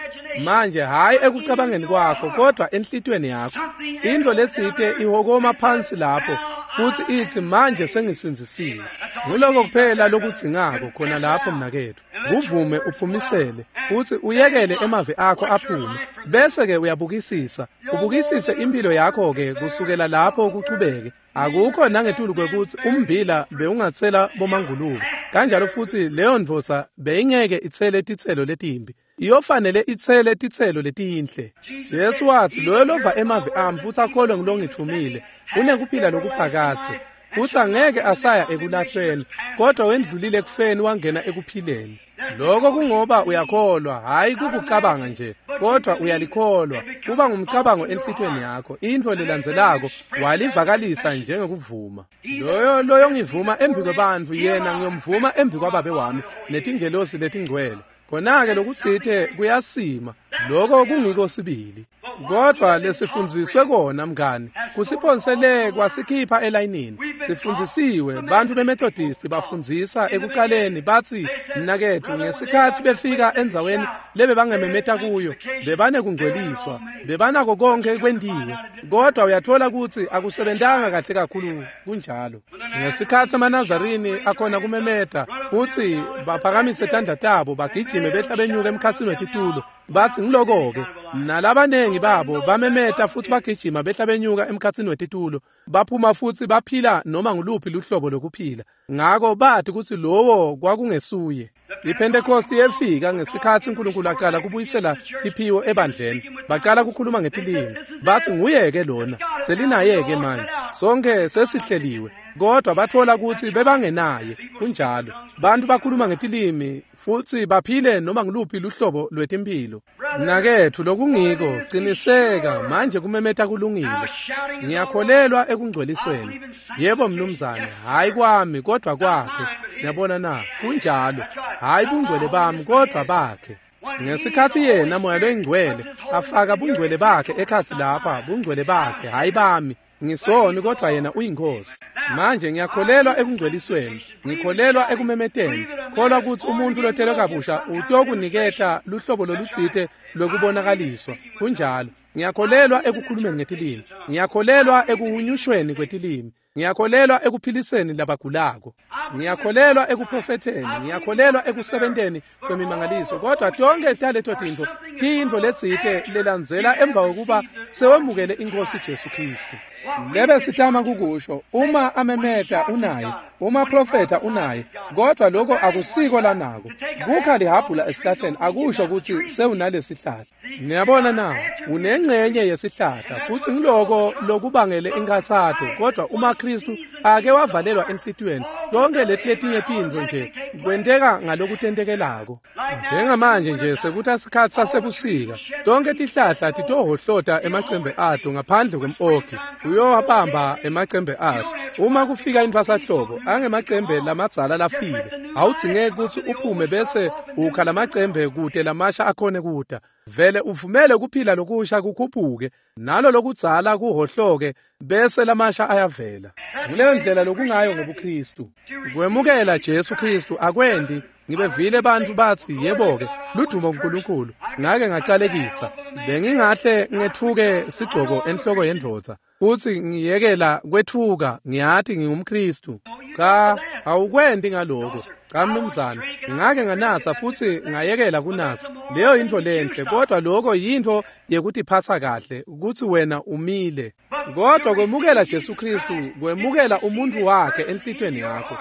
Speaker 1: manje hhayi ekucabangeni kwakho kodwa enhlitiyweni yakho, intfo letsite ihokoma phansi lapho futsi itsi, manje sengisindzisiwe. Nguloko kuphela lokudzingako khona lapho mnaketfu. Kuvume uphumisele futsi uyekele emavi akho aphume, bese-ke uyabukisisa, ubukisise impilo yakho-ke kusukela lapho kuchubeke. Akukho nangetulu kwekutsi ummbila bewungatsela bomangulube, kanjalo futsi leyo ndvodza beyingeke itsele titselo letimbi. Iyofanele itsele titselo letinhle. Jesu watsi, loyo lova emavi ami futsi akholwe ngulongitfumile unekuphila lokuphakadze, futsi angeke asaya ekulahlweni, kodwa wendlulile ekufeni wangena ekuphileni. Lokho kungoba uyakholwa, hhayi kukucabanga nje, kodwa uyalikholwa. Kuba ngumcabango enhlitiyweni yakho. Intfo lelandzelako walivakalisa njengekuvuma. Loyo loyongivuma embi kwebantfu, yena ngiyomvuma embi kwaBabe wami netingelosi letingcwele. Khona-ke lokutsite kuyasima, lokho kungiko sibili. Kodwa lesifundziswe kona mngani, kusiphonsele kwasikhipha elayinini. Sifundzisiwe, bantfu beMethodist bafundzisa ekucaleni batsi, mnaketfu, ngesikhatsi befika endzaweni lebebangememeta kuyo, bebanekungcweliswa, bebanako konkhe kwentiwe. Kodwa uyatfola kutsi akusebentanga kahle kakhulu kunjalo. Ngesikhatsi amaNazarini akhona kumemeta futsi baphakamise tandla tabo bagijime behla benyuka emkhatsini wetitulo, batsi ngiloko-ke. Nalabanengi babo bamemeta futsi bagijima behla benyuka emkhatsini wetitulo, baphuma futsi baphila noma nguluphi luhlobo lokuphila. Ngako bathi kutsi lowo kwakungesuye. IPhentekosti yefika ngesikhatsi uNkulunkulu aqala kubuyisela tiphiwo ebandleni. Baqala kukhuluma ngetilimi. Batsi nguye-ke lona, selinaye-ke manje. Sonke sesihleliwe. Kodwa batfola kutsi bebangenaye. Kunjalo. Bantu bakhuluma ngetilimi futsi baphile noma nguluphi luhlobo lwetimphilo. Mnaketfu, lokungiko, qiniseka manje kumemeta kulungile. Ngiyakholelwa ekungcwelisweni. Yebo mnumzane, hhayi kwami kodwa kwakhe. Niyabona na? Kunjalo. Hhayi bungcwele bami kodwa bakhe. Ngesikhatsi yena moya loyingcwele afaka bungcwele bakhe ekhatsi lapha, bungcwele bakhe, hhayi bami. Ngisoni kodwa yena uyinkosi. Manje ngiyakholelwa ekungcwelisweni, ngikholelwa ekumemeteni. Kholwa kutsi umuntu lotelwe kabusha utokuniketa luhlobo lolutsite lwekubonakaliswa. Kunjalo. Ngiyakholelwa ekukhulumeni ngetilimi. Ngiyakholelwa ekuhunyushweni kwetilimi. Ngiyakholelwa ekuphiliseni labagulako. Ngiyakholelwa ekuprofetheni. Ngiyakholelwa ekusebenteni kwemimangaliso. Kodwa tonke taleto tintfo tiyintfo letsite lelandzela emva kokuba sewemukele iNkhosi Jesu Khristu. Lebe sitama kukusho, uma amemeta unaye, uma profeta unaye, kodwa lokho akusiko lanako. Kukha lihabhula esihlahleni akusho ukuthi sewunalesihlahla. Niyabona na, unengxenye yesihlahla futhi ngiloko lokubangele inkathato, kodwa uma Kristu ake wavalelwa enhlitiyweni, tonke leti letinye tintfo nje kwenteka ngalokutentekelako. Njengamanje nje sekuthi isikhatsi sasebusika, tonke tihlahla titohohlota emacembe ato ngaphandle kwem-okhi, uyowabamba emacembe aso. Uma kufika intfwasahlobo angemacembe lamadzala lafile, awudzingeki kutsi uphume bese ukha lamacembe kute lamasha akhone kuta. Vele uvumele kuphila lokusha kukhuphuke, nalo lokudzala kuhohloke bese lamasha ayavela. Nguleyo ndlela lokungayo ngobuKristu. Kwemukela Jesu Kristu akwendi. Ngibevile bantfu batsi yebo-ke ludumo kuNkulunkulu, ngake ngacalekisa. Bengingahle ngetfuke sigcoko enhloko yendvodza futsi ngiyekela kwetfuka, ngiyati ngingumKristu. Cha, awukwendi ngaloko. Cha mnumzane, ngake nganatsa futsi ngayekela kunatsa. Leyo yintfo lenhle, kodwa lokho yintfo yekutiphatsa kahle kutsi wena umile. Kodwa kwemukela Jesu Kristu, kwemukela umuntfu wakhe enhlitiyweni yakho,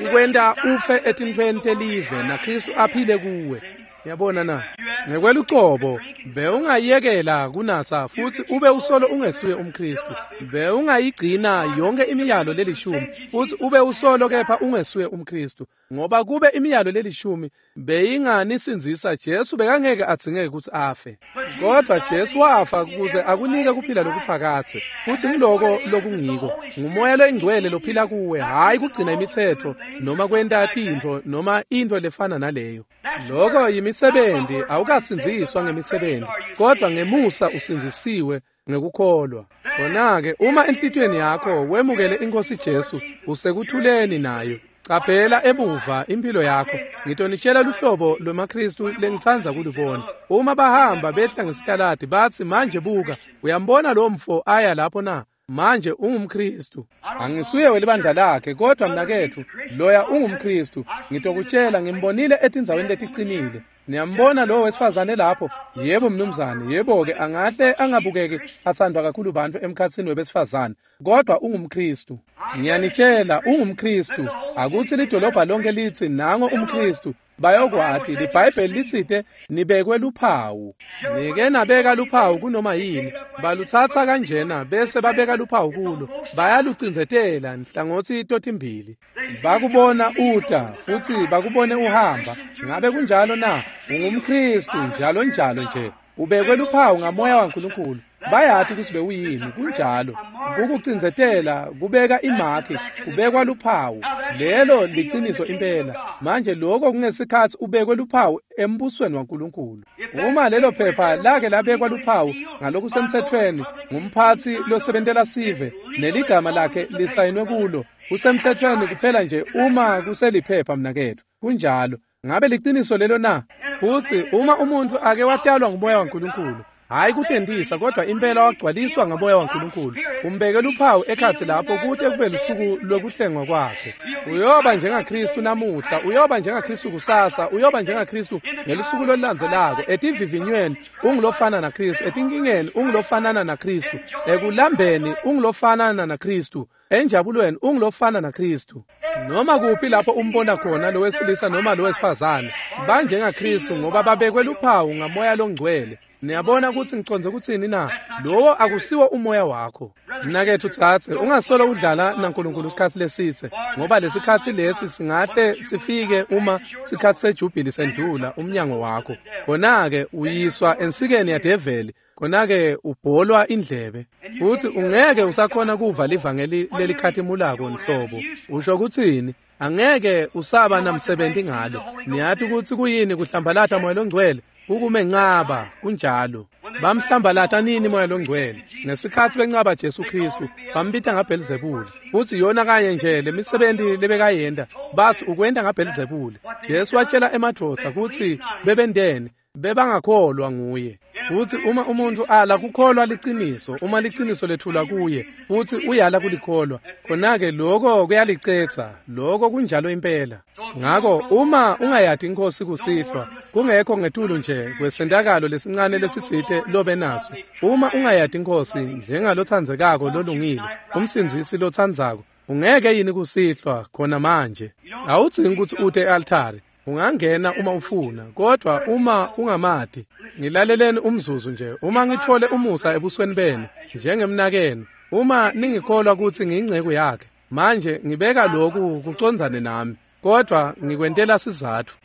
Speaker 1: ukwenta ufe etintfweni telive naKristu aphile kuwe. Yabona na? Ngekwelucobo bewungayekela kunatsa futsi ube usolo ungesuye umKristu. Bewungayigcina yonke imiyalo lelishumi futsi ube usolo kepha ungesuye umKristu, ngoba kube imiyalo lelishumi beyinganisindzisa, Jesu bekangeke adzingeke kutsi afe. Kodwa Jesu wafa ukuze akunike kuphila lokuphakadze, futsi ngiloko lokungiko. Ngumoya loyingcwele lophila kuwe, hhayi kugcina imitsetfo noma kwenta tintfo noma intfo lefana naleyo. Lokho yimisebenti, awukasindziswa ngemisebenzi, kodwa ngemusa usindzisiwe ngekukholwa. Khona-ke uma enhlitiyweni yakho wemukele iNkosi Jesu, usekuthuleni nayo. Caphela emuva impilo yakho. Ngitonitshela luhlobo lwemaKristu lengitsandza kulubona. Uma bahamba behla ngesitaladi bathi, manje buka, uyambona lo mfo aya lapho na? Manje ungumKristu. Angisuye welibandla lakhe, kodwa mnaketfu loya ungumKristu. Ngitokutshela, ngimbonile etindzaweni leticinile. Niyambona lo wesifazane lapho? Yebo mnumzane, yebo-ke angahle angabukeki athandwa kakhulu bantfu emkhatsini webesifazane, kodwa ungumKristu. Ngiyanitshela, ungumKristu. Akuthi lidolobha lonke litsi nango umKristu, bayokwati. LiBhayibheli litsite nibekwe luphawu. Nike nabeka luphawu kunoma yini, balutsatsa kanjena bese babeka luphawu kulo, bayalucindzetela nhlangothi totimbili. Bakubona uta futsi bakubone uhamba. Ngabe kunjalo na? UngumKristu njalo njalo nje. Ubekwe luphawu ngamoya waNkulunkulu. Bayati kutsi bewuyini, kunjalo. Kukucindzetela, kubeka imakhi, kubekwa luphawu. Lelo liciniso impela. Manje lokho kungesikhatsi ubekwe luphawu embusweni waNkulunkulu. Uma lelo phepha lake labekwa luphawu ngalokusemtsetfweni ngumphatsi losebentela sive neligama lakhe lisayinwe kulo, kusemtsetfweni kuphela nje uma kuseliphepha mnaketfu. Kunjalo. Ngabe liciniso lelo na? Futsi uma umuntfu ake watalwa ngumoya waNkulunkulu, hhayi kutentisa, kodwa impela wagcwaliswa ngamoya waNkulunkulu, umbeke luphawu ekhatsi lapho kute kube lusuku lwekuhlengwa kwakhe. Uyoba njengaKristu namuhla, uyoba njengaKristu kusasa, uyoba njengaKristu ngelusuku lolulandzelako. Etivivinyweni ungulofana naKristu, etinkingeni ungulofanana naKristu, ekulambeni ungulofanana naKristu, enjabulweni ungulofana naKristu. Noma kuphi lapho umbona khona lowesilisa noma lowesifazane, banjengaKristu ngoba babekwe luphawu ngamoya longcwele. Niyabona kutsi ngicondze kutsini na? Lowo akusiwo umoya wakho. Mnaketfu tsatse, ungasolo udlala naNkulunkulu isikhatsi lesitse, ngoba lesikhatsi lesi singahle sifike uma sikhatsi sejubhili sendlula umnyango wakho. Khona-ke uyiswa ensikeni yadeveli, khona-ke ubholwa indlebe, futsi ungeke usakhona kuva livangeli lelikhatimulako nhlobo. Usho kutsini? Angeke usaba namsebenti ngalo. Niyati kutsi kuyini kuhlambalata moya longcwele? Kukumencaba, kunjalo. Bamhlambalata nini moya longcwele? Ngesikhatsi bencaba Jesu Kristu, bambita ngaBhelzebule. Futsi yona kanye nje lemisebenti lebekayenta, batsi ukwenta ngaBhelzebule. Jesu watshela emadvodza kutsi bebenteni, bebangakholwa nguye. Futsi uma umuntfu ala kukholwa liciniso, uma liciniso lethulwa kuye, futsi uyala kulikholwa, khona-ke lokho kuyalicetsa. Lokho kunjalo impela. Ngako uma ungayati iNkhosi kusihlwa, Kungekho ngetulu nje kwesentakalo lesincane lesitsite lobe naso. Uma ungayati iNkhosi njengalotsandzekako lolungile, umsindzisi lotsandzako, ungeke yini kusihlwa khona manje? Awudzingi kutsi ute e-altari. Ungangena uma ufuna, kodwa uma ungamati, ngilaleleni umzuzu nje. Uma ngitfole umusa ebusweni benu njengemnakenu, uma ningikholwa kutsi ngiyinceku yakhe, manje ngibeka lokhu kucondzane nami, kodwa ngikwentela sizatfu.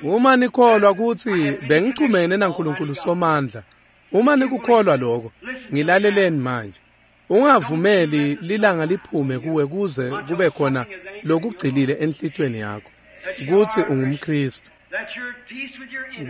Speaker 1: Uma nikholwa kutsi bengichumene naNkulunkulu Somandla, uma nikukholwa lokho, ngilaleleni manje. Ungavumeli lilanga liphume kuwe kuze kube khona lokugcilile enhlitiyweni yakho, kutsi ungumKhristu,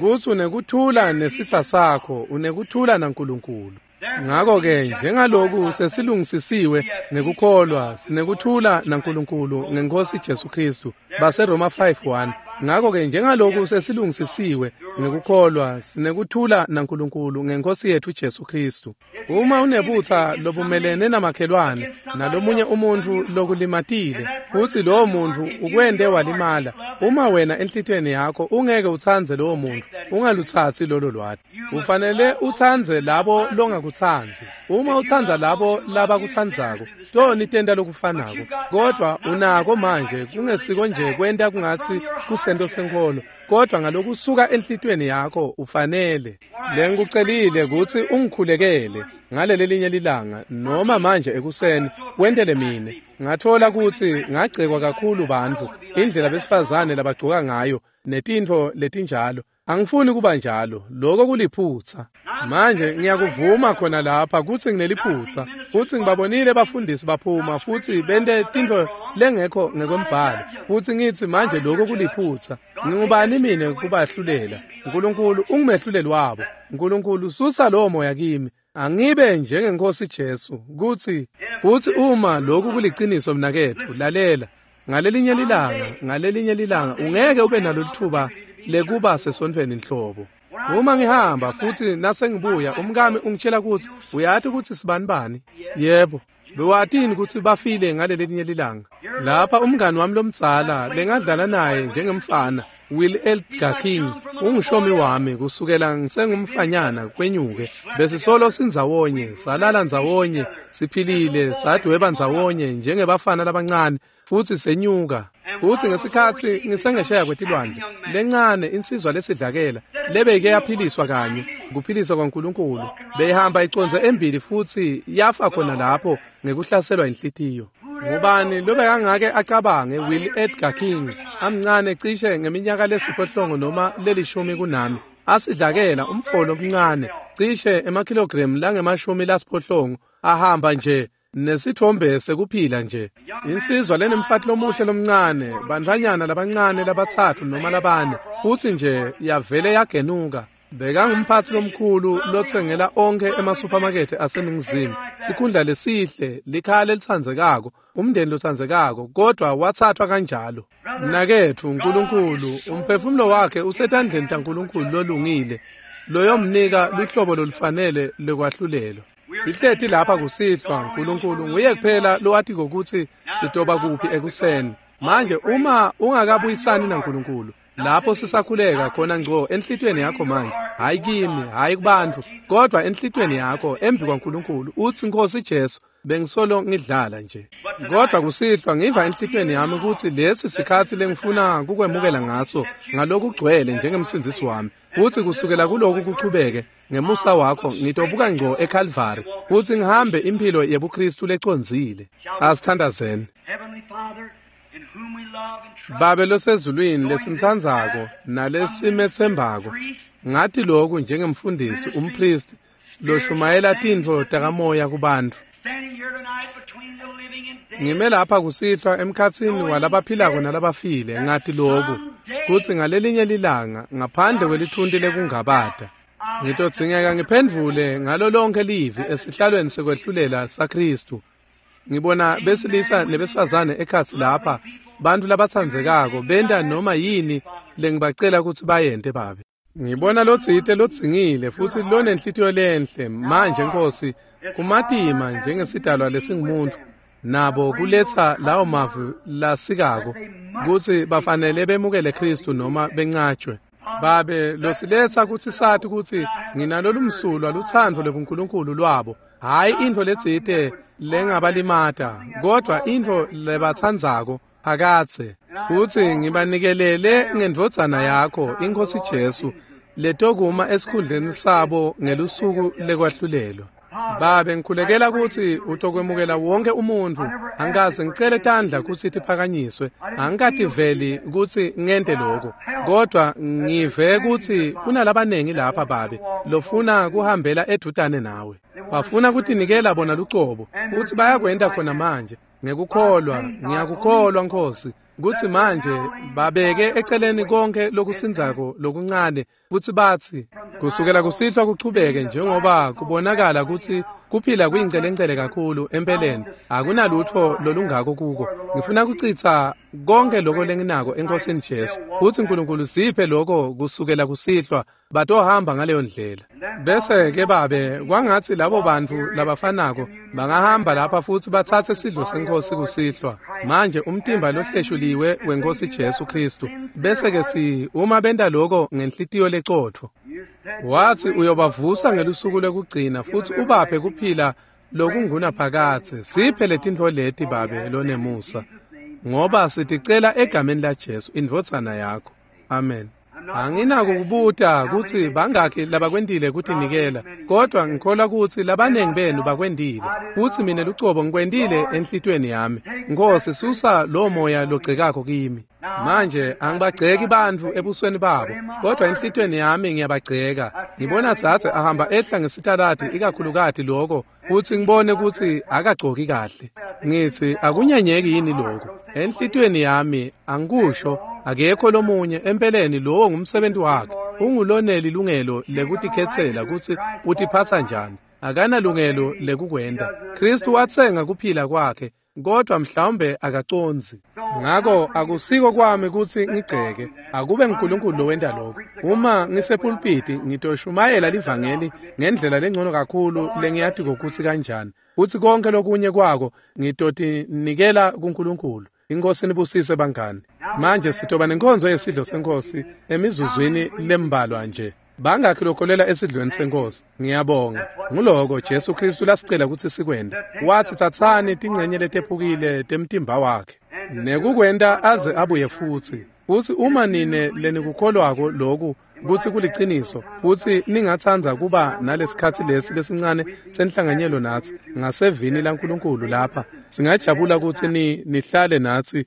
Speaker 1: kutsi unekuthula nesitsa sakho, unekuthula naNkulunkulu. Ngakho-ke njengaloku sesilungisisiwe ngekukholwa, sinekuthula naNkulunkulu ngeNkhosi Jesu Khristu. BaseRoma 5:1. Ngakho-ke njengaloku sesilungisisiwe ngekukholwa, sinekuthula naNkulunkulu ngeNkhosi yethu Jesu Khristu. Uma unebutha lobumelene namakhelwane nalomunye umuntfu lokulimatile, futsi lowo muntfu ukwente walimala, uma wena enhlitiyweni yakho ungeke utsandze lowo muntfu, ungalutsatsi lolo lwati. Ufanele utsandze labo longakutsandzi. Uma utsandza labo labakutsandzako, toni tenta lokufanako. Kodwa unako manje kungesiko nje kwenta kungatsi kusento senkholo, kodwa ngalokusuka enhlitiyweni yakho ufanele. Lengikucelile kutsi ungikhulekele ngalelelinye lilanga noma manje ekuseni, wentele mine. Ngathola kutsi ngagcekwa kakhulu bantfu, indlela besifazane labagcoka ngayo netintfo letinjalo. Angifuni kuba njalo, lokho kuliphutsa. Manje ngiyakuvuma khona lapha kutsi ngineliphutsa, futsi ngibabonile bafundisi baphuma futsi bente tintfo lengekho ngekwembhalo, futsi ngitsi manje lokho kuliphutsa. Ngingubani mine kubahlulela? Nkulunkulu ungumehluleli wabo. Nkulunkulu susa lowo moya kimi. Angibe njengeNkhosi Jesu kutsi futsi uma lokhu kuliciniso mnaketfu, lalela. Ngalelinye lilanga ungeke ube nalo litfuba lekuba sesontfweni nhlobo. Uma ngihamba futsi nasengibuya, umkami ungitshela kutsi uyati kutsi sibani bani. Yebo, bewatini kutsi bafile ngalelinye lilanga. Lapha umngani wami lomdzala lengadlala naye njengemfana, Will Edgar King, ungishomi wami kusukela ngisengumfanyana kwenyuke. Besisolo sindzawonye, salala ndzawonye, siphilile, sadweba ndzawonye njengebafana labancane, futsi senyuka. Futsi ngesikhatsi ngisengesheya kwetilwandle, lencane insizwa lesidlakela lebeyike yaphiliswa kanye, kuphiliswa kwaNkulunkulu, beyihamba icondze embili futsi yafa khona lapho ngekuhlaselwa inhlitiyo. Ngubani lobekangake acabange Will Edgar King, amncane cishe ngeminyaka lesiphohlongo noma lelishumi kunami, asidlakela umfolo omncane cishe emakhilogremu lange-80, ahamba nje nesithombe sekuphila nje. Insizwa lenemfati lomuhle lomncane, bantfwanyana labancane labatsatfu noma labane, futsi nje yavele yagenuka. Bekangumphatsi lomkhulu lotsengela onkhe emasuphamakethe aseNingizimu, sikhundla lesihle, likhaya lelitsandzekako, umndeni lotsandzekako, kodwa watsathwa kanjalo. Mnaketfu, Nkulunkulu, umphefumulo wakhe usetandleni taNkulunkulu lolungile, loyomnika luhlobo lolufanele lekwahlulelwa. Sihleti lapha kusihlwa, Nkulunkulu nguye kuphela lowatiko kutsi sitoba kuphi ekuseni. Manje uma ungakabuyisani naNkulunkulu, lapho sisakhuleka khona ngco enhlitiyweni yakho manje, hayi kimi, hayi kubantfu, kodwa enhlitiyweni yakho embi kwaNkulunkulu, utsi Nkhosi Jesu, bengisolo ngidlala nje. Kodwa kusihlwa ngiva enhlitiyweni yami kutsi lesi sikhatsi lengifuna kukwemukela ngaso ngalokugcwele njengemsindzisi wami, kutsi kusukela kuloku kuchubeke ngemusa wakho ngitobuka ngco eKalvari kutsi ngihambe imphilo yebuKhristu lecondzile. Asithandazeni. Babe losezulwini lesimtsandzako nalesimetsembako, ngati lokhu njengemfundisi, umpristi loshumayela tintfo takamoya kubantfu. Ngime lapha kusihlwa emkhatsini walabaphilako nalabafile, ngati lokhu kutsi ngalelinye lilanga ngaphandle kwelithunti lekungabata ngitodzingeka ngiphendvule ngalo lonke livi esihlalweni sekwehlulela saKhristu. Ngibona besilisa nebesifazane ekhatsi lapha, bantfu labatsandzekako benta noma yini lengibacela kutsi bayente Babe. Ngibona lotsite lodzingile futsi lonenhlitiyo lenhle. Manje Nkosi, kumatima njengesidalwa lesingumuntu nabo kuletsa lawo mavi lasikako kutsi bafanele bemukele Khristu noma bencatshwe. Babe losiletsa kutsi sati kutsi nginalolumsulwa lutsandvo lwebuNkulunkulu lwabo, hhayi intfo letsite lengabalimata, kodvwa intfo lebatsandzako phakadze. Futsi ngibanikelele ngendvodzana yakho, iNkhosi Jesu, letokuma esikhundleni sabo ngelusuku lekwahlulelwa. Babe, ngikhulekela kutsi utokwemukela wonke umuntfu. Angikaze ngicele tandla kutsi tiphakanyiswe, angikativeli kutsi ngente lokho, kodwa ngive kutsi kunalabanengi lapha, Babe, lofuna kuhambela edvutane nawe. Bafuna kutinikela bona lucobo, futsi bayakwenta khona manje ngekukholwa. Ngiyakukholwa, Nkhosi, kutsi manje babeke eceleni konke lokusindzako lokuncane, futsi batsi kusukela kusihlwa kuchubeke, njengoba kubonakala kutsi kuphila kuyincelengcele kakhulu empeleni, akunalutfo lolungako kuko. Ngifuna kucitsa konke loko lenginako eNkhosini Jesu, futsi Nkulunkulu siphe loko kusukela kusihlwa, batohamba ngaleyo ndlela. Bese ke Babe, kwangatsi labo bantfu labafanako bangahamba lapha futsi batsatse sidlo seNkhosi kusihlwa manje, umtimba lohleshuliwe weNkhosi Jesu Khristu. Bese ke si uma benta loko ngenhlitiyo lecotfo, watsi uyobavusa ngelusuku lwekugcina futsi ubaphe kuphila lokungunaphakadze. Siphe letintfo leti, Babe lonemusa, ngoba siticela egameni la Jesu, indvodzana yakho. Amen. Anginako kubuta kutsi bangakhi labakwentile kutinikela, kodwa ngikholwa kutsi labanengi benu bakwentile, futsi mina lucobo ngikwentile enhlitiyweni yami. Nkhosi, susa lo moya logcekako kimi. Manje angibagceki bantfu ebusweni babo, kodwa enhlitiyweni yami ngiyabagceka. Ngibona dzadze ahamba ehla ngesitaladi, ikakhulukati loko, futsi ngibone kutsi akagcoki kahle. Ngitsi akunyenyeki yini lokho? Enhlitiyweni yami angikusho, akekho lomunye empeleni, lowo ngumsebenzi wakhe. Unguloneli lungelo lekutikhetsela kutsi utiphatsa njani. Akanalungelo lekukwenta. Kristu watsenga kuphila kwakhe, kodwa mhlawumbe akacondzi. Ngako akusiko kwami kutsi ngigceke, akube nguNkulunkulu lowenta lokho. Uma ngisepulpiti ngitoshumayela livangeli ngendlela lengcono kakhulu lengiyatiko kutsi kanjani, futsi konke lokunye kwako ngitotinikela kuNkulunkulu. Inkosi nibusise bangani. Manje sitoba nenkonzo yesidlo senkosi emizuzwini lembalwa nje. Bangakhi lokholela esidlweni senkosi? Ngiyabonga. Nguloko Jesu Kristu lasicela kutsi sikwente. Watsi tsatsani tincenye letephukile temtimba wakhe nekukwenta aze abuye futsi. Futsi uma nine lenikukholwako loku kutsi kuliciniso, futsi ningatsandza kuba nalesikhatsi lesi lesincane senhlanganyelo natsi ngasevini laNkulunkulu lapha, singajabula kutsi nihlale natsi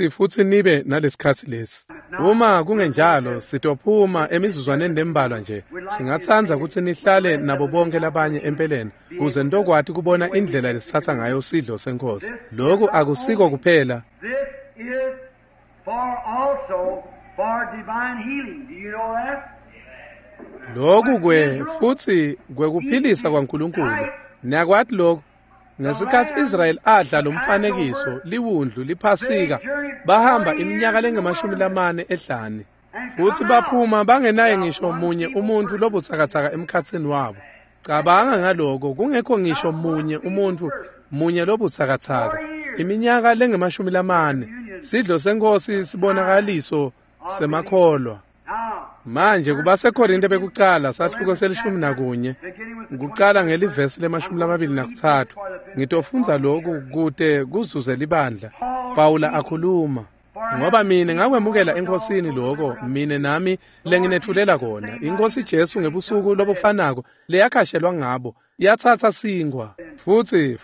Speaker 1: futsi nibe nalesikhatsi lesi. Uma kungenjalo, sitophuma emizuzwaneni lembalwa nje. Singatsandza kutsi nihlale nabo bonke labanye empeleni, kuze nitokwati kubona indlela lesitsatsa ngayo sidlo senkosi. Loku akusiko kuphela.
Speaker 2: This is for also for divine healing. Do you know that?
Speaker 1: Loku kwe futsi kwekuphilisa kwaNkulunkulu. Niyakwati lokhu? Ngesikhatsi Israyeli adla lomfanekiso liwundlu liphasika, bahamba iminyaka lengama-40 ehlane, futsi baphuma bangenaye ngisho munye umuntfu lobutsakatsaka emkhatsini wabo. Cabanga ngaloko, kungekho ngisho munye umuntfu munye lobutsakatsaka. Iminyaka lengama-40, sidlo senkosi sibonakaliso semakholwa. Manje kubaseKorinte bekucala sahluko se-11, kucala ngelivesi le-23. Ngitofundza lokhu kute kuzuze libandla. Pawula akhuluma, ngoba mina ngakwemukela eNkhosini lokho mina nami lenginetfulela kona. INkhosi Jesu ngebusuku lobufanako leyakhashelwa ngabo, yatsatsa sinkwa,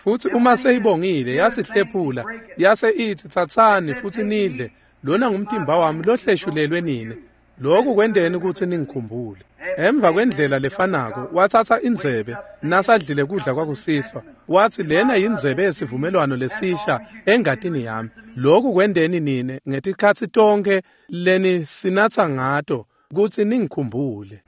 Speaker 1: futsi uma seyibongile yasihlephula, yase ithi tsatsani futsi nidle, lona ngumtimba wami lohleshulelwe nine. Lokhu kwenteni kutsi ningikhumbule. Emva kwendlela lefanako watsatsa indzebe nasadlile kudla kwakusihlwa, watsi lena yindzebe yesivumelwano lesisha engatini yami. Lokhu kwenteni nine ngetikhatsi tonkhe lenisinatsa ngato kutsi ningikhumbule.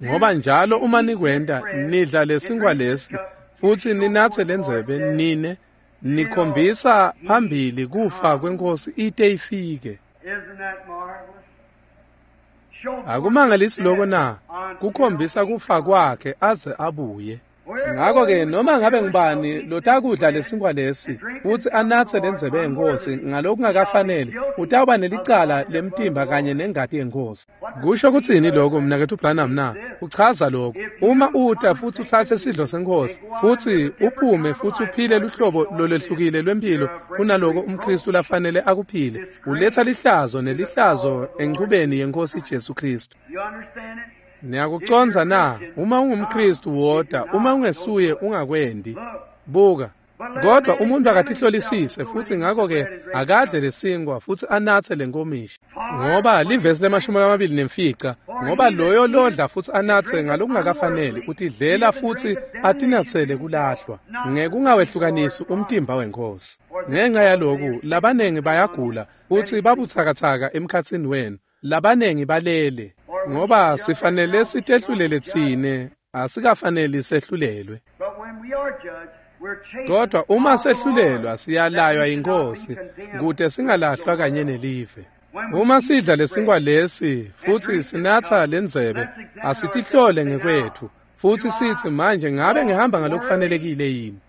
Speaker 1: Ngoba njalo uma nikwenta, nidla lesinkwa lesi futsi ninatse lendzebe, nine nikhombisa phambili kufa kweNkhosi ite ifike. Akumangalisi lokho na? Kukhombisa kufa kwakhe aze abuye. Ngakho-ke noma ngabe ngubani lotakudla lesinkwa lesi futsi anatse lendzebe yeNkhosi ngalokungakafaneli utawuba nelicala lemtimba kanye nengati yeNkhosi. Kusho kutsini lokho mnaketfu Branham na? Uchaza lokho. Uma uta futsi utsatse sidlo seNkhosi futsi uphume futsi uphile luhlobo lolwehlukile lwempilo kunaloko umKhristu lafanele akuphile, uletsa lihlazo nelihlazo enchubeni yeNkhosi Jesu Khristu. Niyakucondza na? Uma ungumKhristu woda, uma ungesuye ungakwendi. Buka. Kodwa umuntu akatihlolisise futsi ngakho-ke akadle lesinkwa futsi anatse lenkomishi. Ngoba livesi le-25, ngoba loyo lodla futsi anatse ngalokungakafaneli utidlela futsi atinatsele kulahlwa, ngekungawehlukanisi umtimba weNkhosi. Ngenxa yaloku labanengi bayagula futsi babutsakatsaka emkhatsini wenu, labanengi balele. Ngoba sifanele sitehlulele tsine, asikafaneli sehlulelwe. Kodwa uma sehlulelwa siyalaywa yiNkhosi kute singalahlwa kanye nelive. Uma sidla lesinkwa lesi futsi sinatsa lendzebe, asitihlole ngekwetfu futsi sitsi manje ngabe ngihamba ngalokufanelekile yini?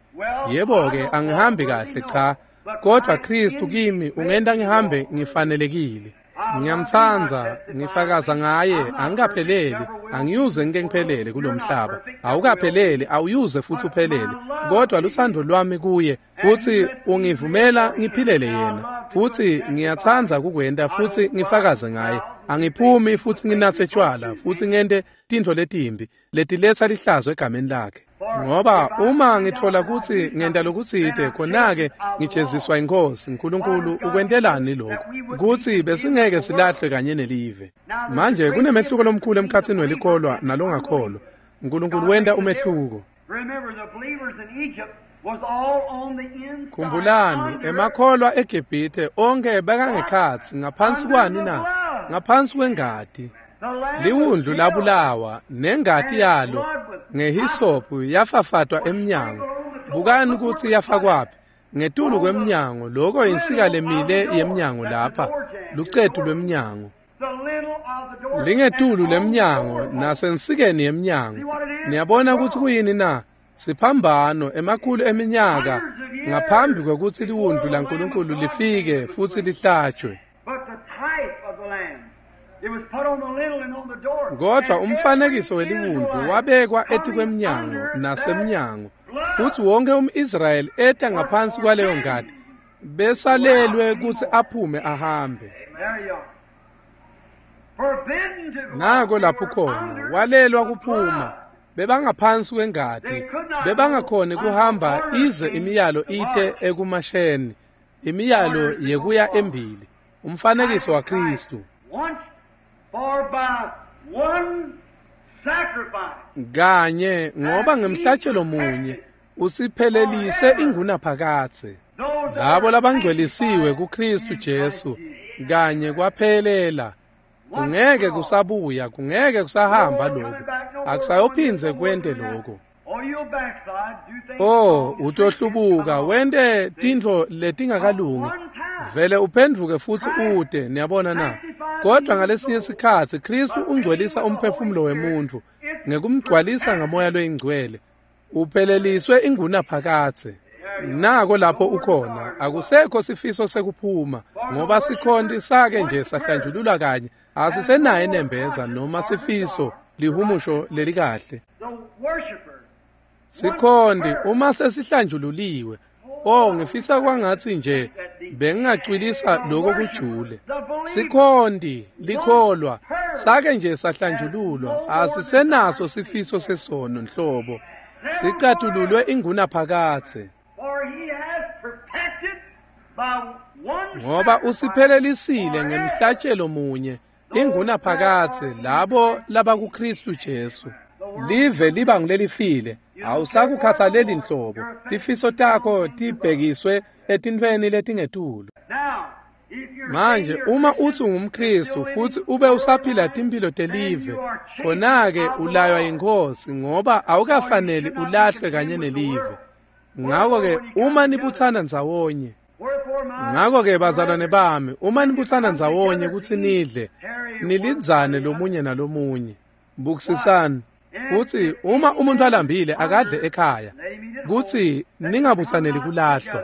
Speaker 1: Yebo-ke angihambi kahle cha, kodwa Khristu kimi ungenta ngihambe ngifanelekile. Ngiyamtsandza, ngifakaza ngaye, angikapheleli, angiyuze ngike ngiphelele kulomhlaba. Awukapheleli, awuyuze futhi uphelele. Kodwa lutsandvo lwami kuye futsi ungivumela ngiphilele yena. Futsi ngiyatsandza kukwenta futsi ngifakaze ngaye. Angiphumi futsi nginatse tshwala futsi ngente tintfo letimbi letiletsa lihlazo egameni lakhe. Ngoba uma ngitfola kutsi ngenta lokutsite khona-ke ngijeziswa yiNkhosi Nkulunkulu ukwentelani lokhu kutsi besingeke silahlwe kanye nelive. Manje kunemehluko lomkhulu emkhatsini welikholwa nalongakholwa. Nkulunkulu wenta umehluko. Khumbulani, emakholwa eGibhithe onke bekangekhatsi ngaphansi kwani na? Ngaphansi kwengati. Liwundlu labulawa nengati yalo ngehisophu yafafatwa emnyango. Bukani kutsi yafakwaphi? Ngetulu kwemnyango, lokho insika lemile yemnyango lapha, lucetu lwemnyango. Lingetulu lemnyango nasensikeni yemnyango. Niyabona kutsi kuyini na? Siphambano emakhulu eminyaka ngaphambi kwekutsi liwundlu laNkulunkulu lifike futsi lihlatshwe. Kodwa umfanekiso weliwundlu wabekwa etikwemnyango nasemnyango, futsi wonke umIsrayeli eta ngaphansi kwaleyo ngati besalelwe kutsi aphume ahambe. Nako lapho khona walelwa kuphuma, bebangaphansi kwengati, bebangakhoni kuhamba ize imiyalo ite ekumasheni, imiyalo yekuya embili, umfanekiso waKhristu. Kanye ngoba ngemhlatshelo munye usiphelelise ingunaphakadze. Labo labangcwelisiwe kuKhristu Jesu kanye kwaphelela. Kungeke kusabuya, kungeke kusahamba lokho, akusayophindze kwente lokho. Oh, utohlubuka wente tintfo letingakalungi, vele uphendvuke futsi ute. Niyabona na? Kodwa ngalesinye sikhatsi Khristu ungcwelisa umphefumulo wemuntfu ngekumgcwalisa ngamoya loyingcwele, upheleliswe ingunaphakadze. Nako lapho ukhona, akusekho sifiso sekuphuma, ngoba sikhonti sake nje sahlanjululwa kanye, asisenaye nembeza noma sifiso lihumusho lelikahle. Sikhonti uma sesihlanjululiwe, oh ngifisa kwangatsi nje bengingacwilisa lokho kujule. Sikhonti likholwa sake nje sahlanjululwa, asisenaso sifiso sesono nhlobo, sicatululwe ingunaphakadze. Ngoba usiphelelisile ngemhlatshelo munye ingunaphakadze labo labakuKhristu Jesu. Live liba ngulelifile, awusakukhathaleli nhlobo, tifiso takho tibhekiswe etintfweni letingetulu. Manje uma utsi ungumKhristu futsi ube usaphila timphilo telive, khona-ke ulaywa yiNkhosi ngoba awukafaneli ulahlwe kanye nelive. Ngakho-ke uma nibutsana ndzawonye, ngakho-ke bazalwane bami, uma nibutsana ndzawonye kutsi nidle, nilindzane lomunye nalomunye. Bukisisani. Futsi uma umuntu alambile akadle ekhaya, kutsi ningabutsaneli kulahlwa.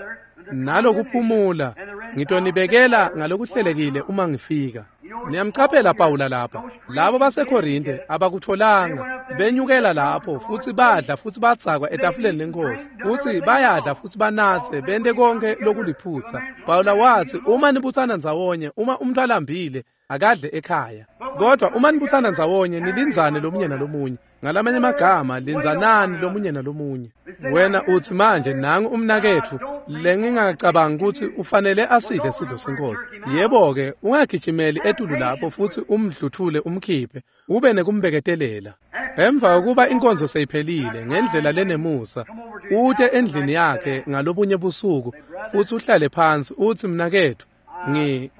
Speaker 1: Nalokuphumula ngitonibekela ngalokuhlelekile uma ngifika. Niyamcaphela Pawula lapha. Labo baseKorinte abakutholanga, benyukela lapho futsi badla futsi badzakwa etafuleni lenkosi, futsi bayadla futsi banatse bente konke lokuliphutsa. Pawula watsi uma nibutsana ndzawonye, uma umuntu alambile akadle ekhaya, kodwa uma nibutsana ndzawonye nilindzane lomunye nalomunye. Ngalamanye amagama, lindzanani lomunye nalomunye. Wena utsi manje nangu umnaketfu lengingacabangi kutsi ufanele asidle sidlo senkosi. Yebo-ke, ungagijimeli etulu lapho futsi umdluthule umkhiphe, ube nekumbeketelela. Emva kokuba inkonzo seyiphelile ngendlela lenemusa, ute endlini yakhe ngalobunye busuku futsi uhlale phansi utsi mnaketfu,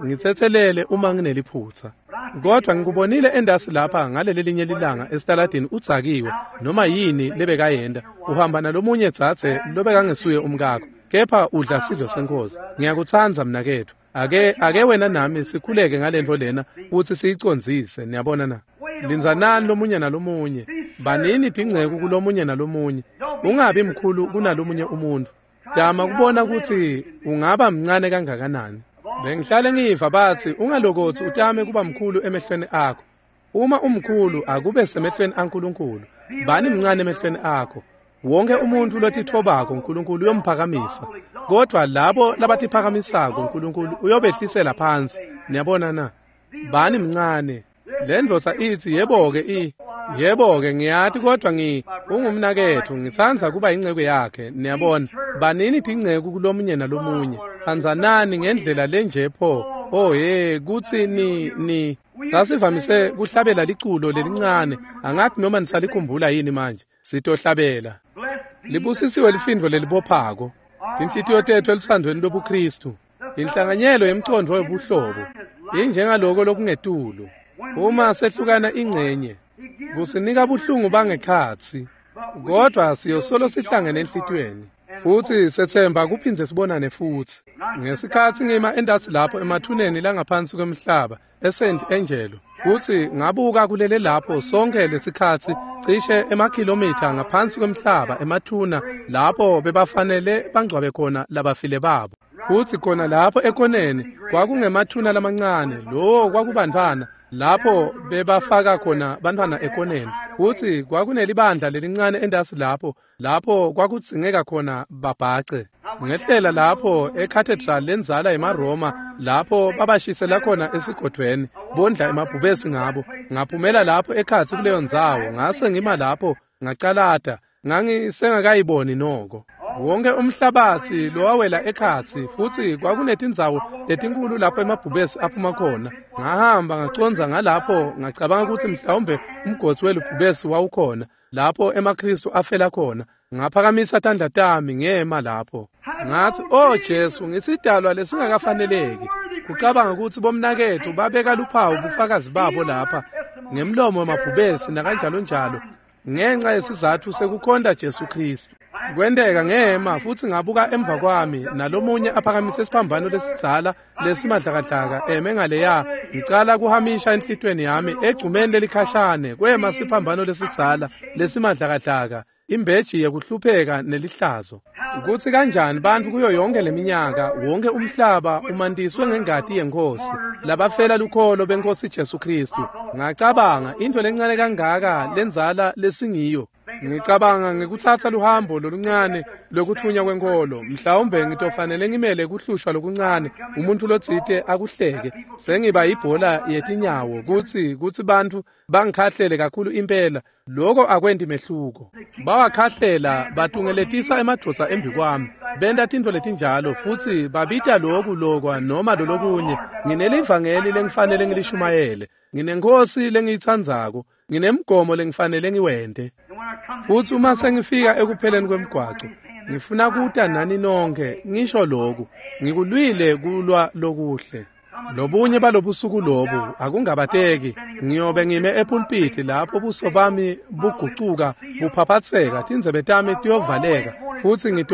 Speaker 1: ngitsetselele uma ngineliphutsa. Kodwa ngikubonile endasi lapha ngaleli linye lilanga esitaladini udzakiwe noma yini lebekayenta, uhamba nalomunye dzadze lobekangesuye umkakho, kepha udla sidlo senkosi. Ngiyakutsandza mnaketfu. Ake wena nami sikhuleke ngalento lena futsi siyicondzise. Niyabona na? Lindzanani lomunye nalomunye, banini tingceku kulomunye nalomunye, ungabi mkhulu kunalomunye umuntu. Tama kubona kutsi ungaba mncane kangakanani. Bengihlale ngiva batsi ungalokotsi utame kuba mkhulu emehlweni akho. Uma umkhulu akube semehlweni aNkulunkulu. Bani mncane emehlweni akho. Wonke umuntu lotitfobako uNkulunkulu uyomphakamisa, kodwa labo labatiphakamisako uNkulunkulu uyobehlisela phansi. Niyabona na? Bani mncane. Le ndvodza itsi yebo-ke yebo-ke ngiyati, kodwa ungumnaketfu, ngitsandza kuba inceku yakhe. Niyabona, banini tinceku kulomunye nalomunye, tsandzanani ngendlela lenje pho. Oh hey, kutsi ni sasivamise kuhlabela liculo lelincane, angathi noma nisalikhumbula yini manje. Sitohlabela. Libusisiwe lifindvo lelibophako, tinhlitiyo tetfu eluthandweni lobuKristu, inhlanganyelo yemcondvo webuhlobo injengaloko lokungetulu. Uma sehlukana ingcenye kusinika buhlungu bangekhatsi, kodwa siyosolo sihlangene enhlitiyweni futsi setsemba kuphindze sibonane futsi. Ngesikhatsi ngima endasi lapho emathuneni langaphansi kwemhlaba eSt Angelo, kutsi ngabuka kulele lapho sonke lesikhatsi cishe emakhilomitha ngaphansi kwemhlaba emathuna lapho bebafanele bangcwabe khona labafile babo. Futsi khona lapho ekoneni kwakungemathuna lamancane, lowo kwakubantfwana lapho bebafaka khona bantfwana ekoneni. Futsi kwakunelibandla lelincane endasi lapho lapho kwakudzingeka khona babhace. Ngehlela lapho ecathedral lenzala yemaRoma lapho babashisela khona esigodvweni bondla emabhubesi ngabo. Ngaphumela lapho ekhatsi kuleyo ndzawo, ngase ngima lapho ngacalata, ngangisengakayiboni noko. Wonke umhlabatsi lowawela ekhatsi, futsi kwakunetindzawo letinkulu lapho emabhubesi aphuma khona. Ngahamba ngacondza ngalapho, ngacabanga kutsi mhlawumbe umgodzi welubhubesi wawukhona lapho emaKristu afela khona. Ngaphakamisa tandla tami ngema lapho, ngathi, "Oh Jesu, ngisidalwa lesingakafaneleki." Kucabanga kutsi bomnaketfu babeka luphawu bufakazi babo lapha ngemlomo wemabhubesi nakanjalo njalo, ngenxa yesizatfu sekukhonta Jesu Kristu. Kwenteka ngema futsi ngabuka emva kwami, nalomunye aphakamise isiphambano lesidzala lesimadlakadlaka eme ngaleya. Ngicala kuhamisha enhlitiyweni yami egcumeni lelikhashane kwema siphambano lesidzala lesimadlakadlaka, imbeji yekuhlupheka nelihlazo. Kutsi kanjani bantfu kuyo yonke leminyaka, wonke umhlaba umantiswe ngengati yenkosi, labafela lukholo benkosi Jesu Kristu. Ngacabanga into lencane kangaka lenzala lesingiyo. Ngicabanga ngekutsatsa luhambo loluncane lokutfunya kwenkolo, mhlawumbe ngitofanele ngimele kuhlushwa lokuncane, umuntu lotsite akuhleke, sengiba ibhola yetinyawo, kutsi bantfu bangikhahlele kakhulu impela. Loko akwenti mehluko. Bawakhahlela batungeletisa emadvodza embi kwami, benta tintfo letinjalo futsi babita loku lokwa noma lolokunye. Nginelivangeli lengifanele ngilishumayele, nginenkosi lengiyitsandzako, nginemgomo lengifanele ngiwente. Futsi uma sengifika ekupheleni kwemgwaco, ngifuna kuta nani nonke ngisho loku, ngikulwile kulwa lokuhle. Lobunye balobusuku lobu akungabateki, ngiyobe ngime epulpiti lapho buso bami bugucuka buphaphatseka, tindzebe tami tiyovaleka, futsi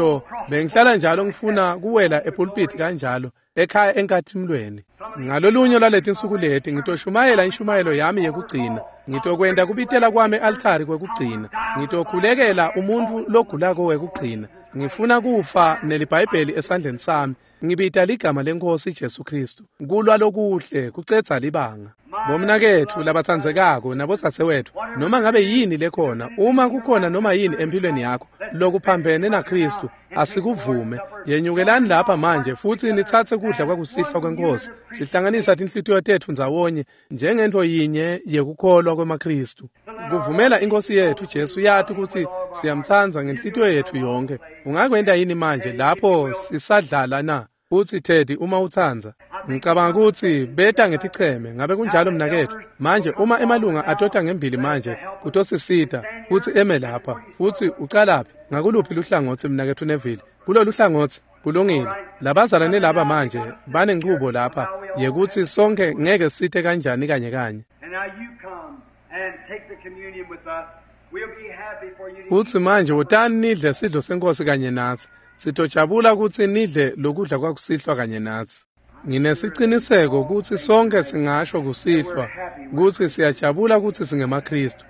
Speaker 1: bengihlala njalo ngifuna kuwela epulpiti kanjalo ekhaya enkathimlweni. Ngalolunye lwaletinsuku leti ngitoshumayela inshumayelo yami yekugcina. Ngitokwenta kubitela kwami e-altari kwekugcina. Ngitokhulekela umuntfu logulako wekugcina. Ngifuna kufa neliBhayibheli esandleni sami. Ngibita ligama leNkhosi Jesu Kristu. Kulwa lokuhle kucedza libanga. Bomnaketfu labatsandzekako nabodzadzewetfu, noma ngabe yini lekhona, uma kukhona noma yini empilweni yakho lokuphambene naKristu, asikuvume. Yenyukelani lapha manje futsi nitsatse kudla kwakusihlwa kweNkhosi. Sihlanganisa tinhlitiyo tetfu ndzawonye njengentfo yinye yekukholwa kwemaKristu. Kuvumela iNkhosi yetfu Jesu yati kutsi siyamtsandza ngenhlitiyo yetfu yonkhe. Ungakwenta yini manje lapho sisadlala na? Futsi Teddy, uma utsandza, ngicabanga kutsi beta ngeticheme. Ngabe kunjalo mnaketfu? Manje uma emalunga atota ngembili manje kutosisita futsi eme lapha. Futsi ucalaphi? Ngakuluphi luhlangotsi mnaketfu Neville? Kulolu hlangotsi. Kulungile. Labazalwane laba manje banenchubo lapha yekutsi sonke ngeke site kanjani kanye kanye.
Speaker 2: And now you come and take the communion with us. We'll be happy for you to
Speaker 1: Futsi manje wotani nidle sidlo senkosi kanye natsi. Sitojabula kutsi nidle lokudla kwakusihlwa kanye natsi. Nginesiciniseko kutsi sonke singasho kusihlwa kutsi siyajabula kutsi singemaKristu.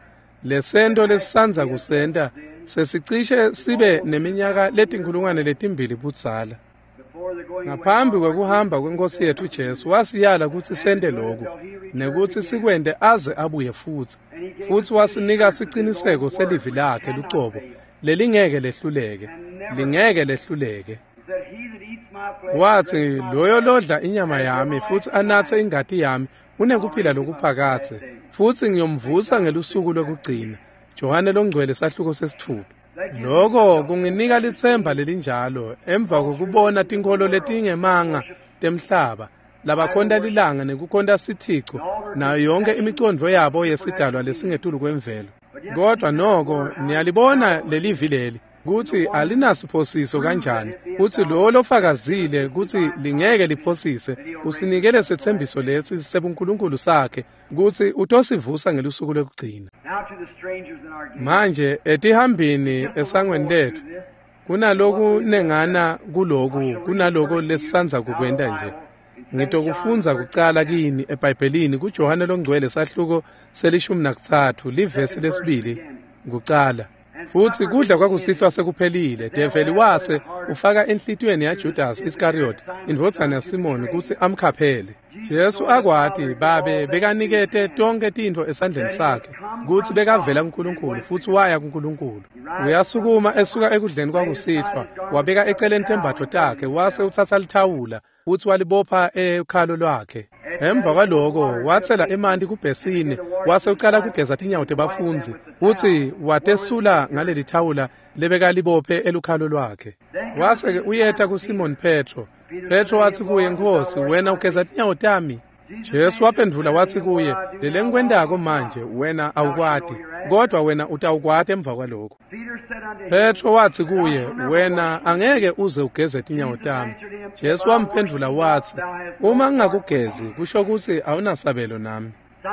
Speaker 1: Lesento lesisandza kusenta sesicishe sibe neminyaka 2,000 budzala.
Speaker 2: before the going
Speaker 1: Ngaphambi kwekuhamba kweNkhosi yetfu Jesu wasiyala kutsi sente lokhu nekutsi sikwente aze abuye futsi. Futsi wasinika siciniseko selivi lakhe lucobo lelingeke lehluleke, lingeke lehluleke.
Speaker 2: He said, "He that eats my flesh
Speaker 1: Watsi
Speaker 2: and drinks my
Speaker 1: loyo
Speaker 2: blood
Speaker 1: lodla inyama yami futsi anatse ingati yami unekuphila lokuphakadze, futsi ngiyomvusa ngelusuku lwekugcina. Johane longcwele sahluko 6. Loko kunginika litsemba lelinjalo emva kokubona tinkholo letingemanga temhlaba labakhonta lilanga nekukhonta sithico nayo yonke imicondvo yabo yesidalwa lesingetulu kwemvelo. Kodwa noko niyalibona lelivi leli kutsi alinasiphosiso kanjani, kutsi lowo lofakazile kutsi lingeke liphosise usinikele setsembiso lesi sebuNkulunkulu sakhe kutsi utosivusa ngelusuku lwekugcina.
Speaker 2: Now to the strangers in our gate.
Speaker 1: Manje etihambini esangweni letfu kunalokunengana kuloku kunaloko lesisandza kukwenta nje. Ngitokufundza kucala kini eBhayibhelini kuJohane longcwele sahluko 13 livesi 2 kucala. Futsi kudla kwakusihlwa sekuphelile. Develi wase ufaka enhlitiyweni yaJudas Iskariot indvodzana yaSimoni kutsi amkhaphele. Jesu akwati babe bekanikete tonke tintfo esandleni sakhe kutsi bekavela kuNkulunkulu futsi waya kuNkulunkulu. Uyasukuma esuka ekudleni kwakusihlwa, wabeka eceleni tembatfo takhe, wase utsatsa lithawula futsi walibopha ekhalo lwakhe. Emva kwaloko watsela emanti kubhesini, wase ucala kugeza tinyawo tebafundzi futsi watesula ngaleli thawula lebekalibophe elukhalo lwakhe. Wase-ke uyeta kuSimoni Petro. Petro watsi kuye, "Nkhosi, wena ugeza tinyawo tami?" Jesu waphendvula watsi kuye, "Lelengikwentako manje wena awukwati, kodwa wena utawukwati emva kwaloko."
Speaker 2: Peter said unto him,
Speaker 1: Petro watsi kuye, "Wena angeke uze ugeze tinyawo tami." Jesu wamphendvula watsi, "Uma ngingakugezi kusho kutsi awunasabelo nami."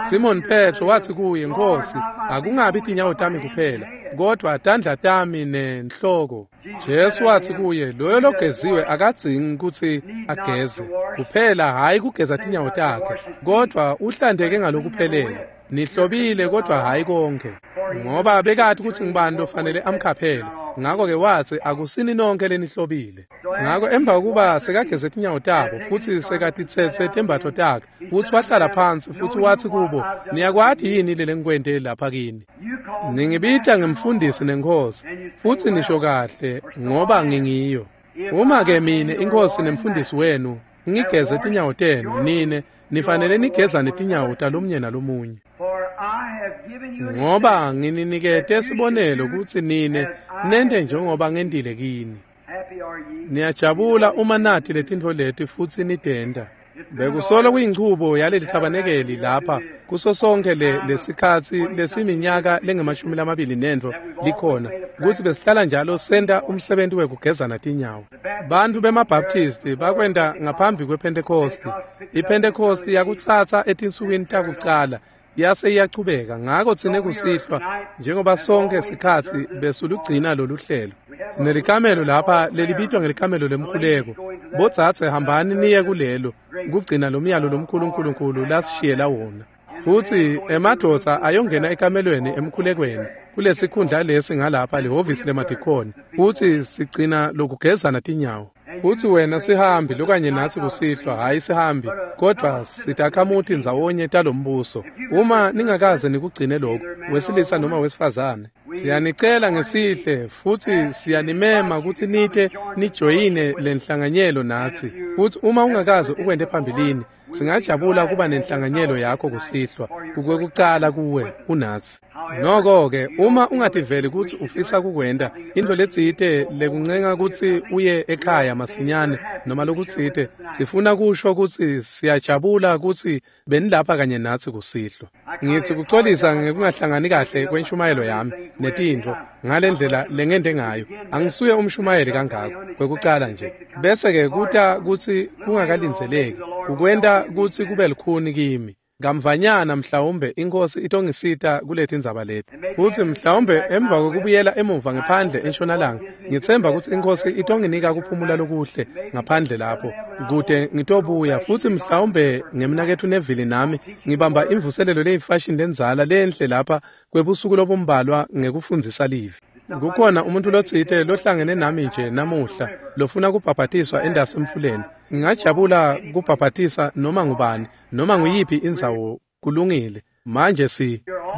Speaker 1: Simon Petro watsi kuye, "Nkhosi, akungabi tinyawo tami kuphela, kodwa tandla tami nenhloko." Jesu watsi kuye, "Loyo logeziwe akadzingi kutsi ageze kuphela, hhayi kugeza tinyawo takhe, kodwa uhlanteke ngalokuphelele. Nihlobile kodwa hhayi konke." Ngoba bekati kutsi ngubani lofanele amkhaphele. Ngako-ke watsi, "Akusini nonke lenihlobile." Ngako emva kokuba sekageze tinyawo tabo futsi sekatitsetse tembatfo takhe futsi wahlala phansi futsi watsi kubo, "Niyakwati yini lelengikwente lapha kini?
Speaker 2: You call me
Speaker 1: Ningibita ngemfundisi neNkhosi, futsi nisho kahle ngoba ngingiyo. Uma-ke mine iNkhosi nemfundisi wenu ngigeze tinyawo tenu, nine nifanele nigezane tinyawo talomunye nalomunye.
Speaker 2: for I have given you an
Speaker 1: Ngoba ngininikete sibonelo kutsi nine nente njengoba ngentile kini.
Speaker 2: Happy are ye.
Speaker 1: Niyajabula uma nati letintfo leti futsi nitenta. Bekusolo kuyinchubo yaleli thabanekeli lapha kuso sonke lesikhatsi lesiminyaka lengu-24 likhona kutsi besihlala njalo senta umsebenti wekugezana tinyawo. Bantfu bemaBaptisti bakwenta ngaphambi kwePhentekhosti. IPhentekhosti yakutsatsa etinsukwini takucala yase iyachubeka. Ngako tsine kusihlwa njengoba sonke sikhatsi besulugcina lolu hlelo. Sinelikamelo lapha lelibitwa ngelikamelo lemkhuleko. Bodzadze hambani niye kulelo kugcina lo myalo lomkhulu uNkulunkulu lasishiyela wona. Futsi emadvodza ayongena ekamelweni emkhulekweni kulesikhundla lesi ngalapha lihhovisi lemadikhoni, futsi sigcina lokugezana tinyawo. Futsi wena sihambi lokanye natsi kusihlwa, hhayi sihambi, kodvwa sitakhamuti ndzawonye talombuso. Uma ningakaze nikugcine lokhu, wesilisa noma wesifazane, siyanicela ngesihle futsi siyanimema kutsi nite nijoyine lenhlanganyelo natsi. Futsi uma ungakaze ukwente phambilini, singajabula kuba nenhlanganyelo yakho kusihlwa, kukwekucala kuwe unatsi. Noko-ke, uma ungativeli kutsi ufisa kukwenta, intfo letsite lekuncenga kutsi uye ekhaya masinyane noma lokutsite, sifuna kusho kutsi siyajabula kutsi benilapha kanye natsi kusihlwa. Ngitsi kucolisa ngekungahlangani kahle kwenshumayelo yami netintfo ngalendlela lengente ngayo. Angisuye umshumayeli kangako kwekucala nje. Bese-ke kuta kutsi kungakalindzeleki, kukwenta kutsi kube lukhuni kimi. Kamvanyana mhlawumbe iNkhosi itongisita kuletindzaba leti. Futsi mhlawumbe emva kwekubuyela emuva ngephandle entshonalanga, ngitsemba kutsi iNkhosi itonginika kuphumula lokuhle ngaphandle lapho, kute ngitobuya. Futsi mhlawumbe ngemnaketfu Neville nami ngibamba imvuselelo leyifashini lendzala lenhle lapha kwebusuku lobumbalwa ngekufundzisa livi. Kukhona umuntu lotsite lohlangene nami nje namuhla lofuna kubhabhatiswa endasi emfuleni. Ngingajabula kubhabhatisa noma ngubani, noma nguyiphi indzawo, kulungile. Manje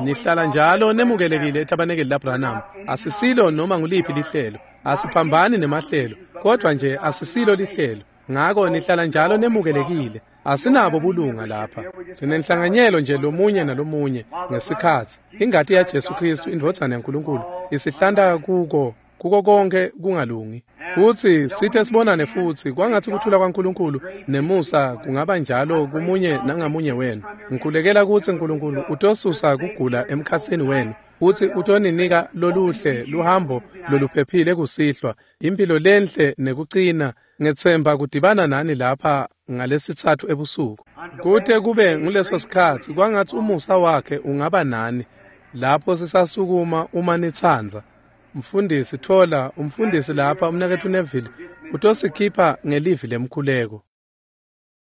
Speaker 1: nihlala njalo nemukelekile etabanekeli laBranham. Asisilo noma nguliphi lihlelo, asiphambani nemahlelo, kodvwa nje asisilo lihlelo. Ngako nihlala njalo nemukelekile. Asinabo bulunga lapha. Sinenhlanganyelo nje lomunye nalomunye ngesikhatsi. Ingati yaJesu Kristu, indvodzana yaNkulunkulu, isihlanta kuko konke kungalungi. Futsi sithe sibonane futsi kwangatsi kuthula kwaNkulunkulu nemusa kungaba njalo kumunye nangamunye wenu. Ngikhulekela kutsi Nkulunkulu utosusa kugula emkhatsini wenu, futsi utoninika loluhle luhambo loluphephile kusihlwa, impilo lenhle nekucina. Ngetsemba kudibana nani lapha ngalesitsatfu ebusuku. Kute kube nguleso sikhatsi, kwangatsi umusa wakhe ungaba nani lapho sisasukuma uma nitsandza. Mfundisi thola umfundisi lapha, umnaketfu Neville utosikhipha ngelivi lemkhuleko.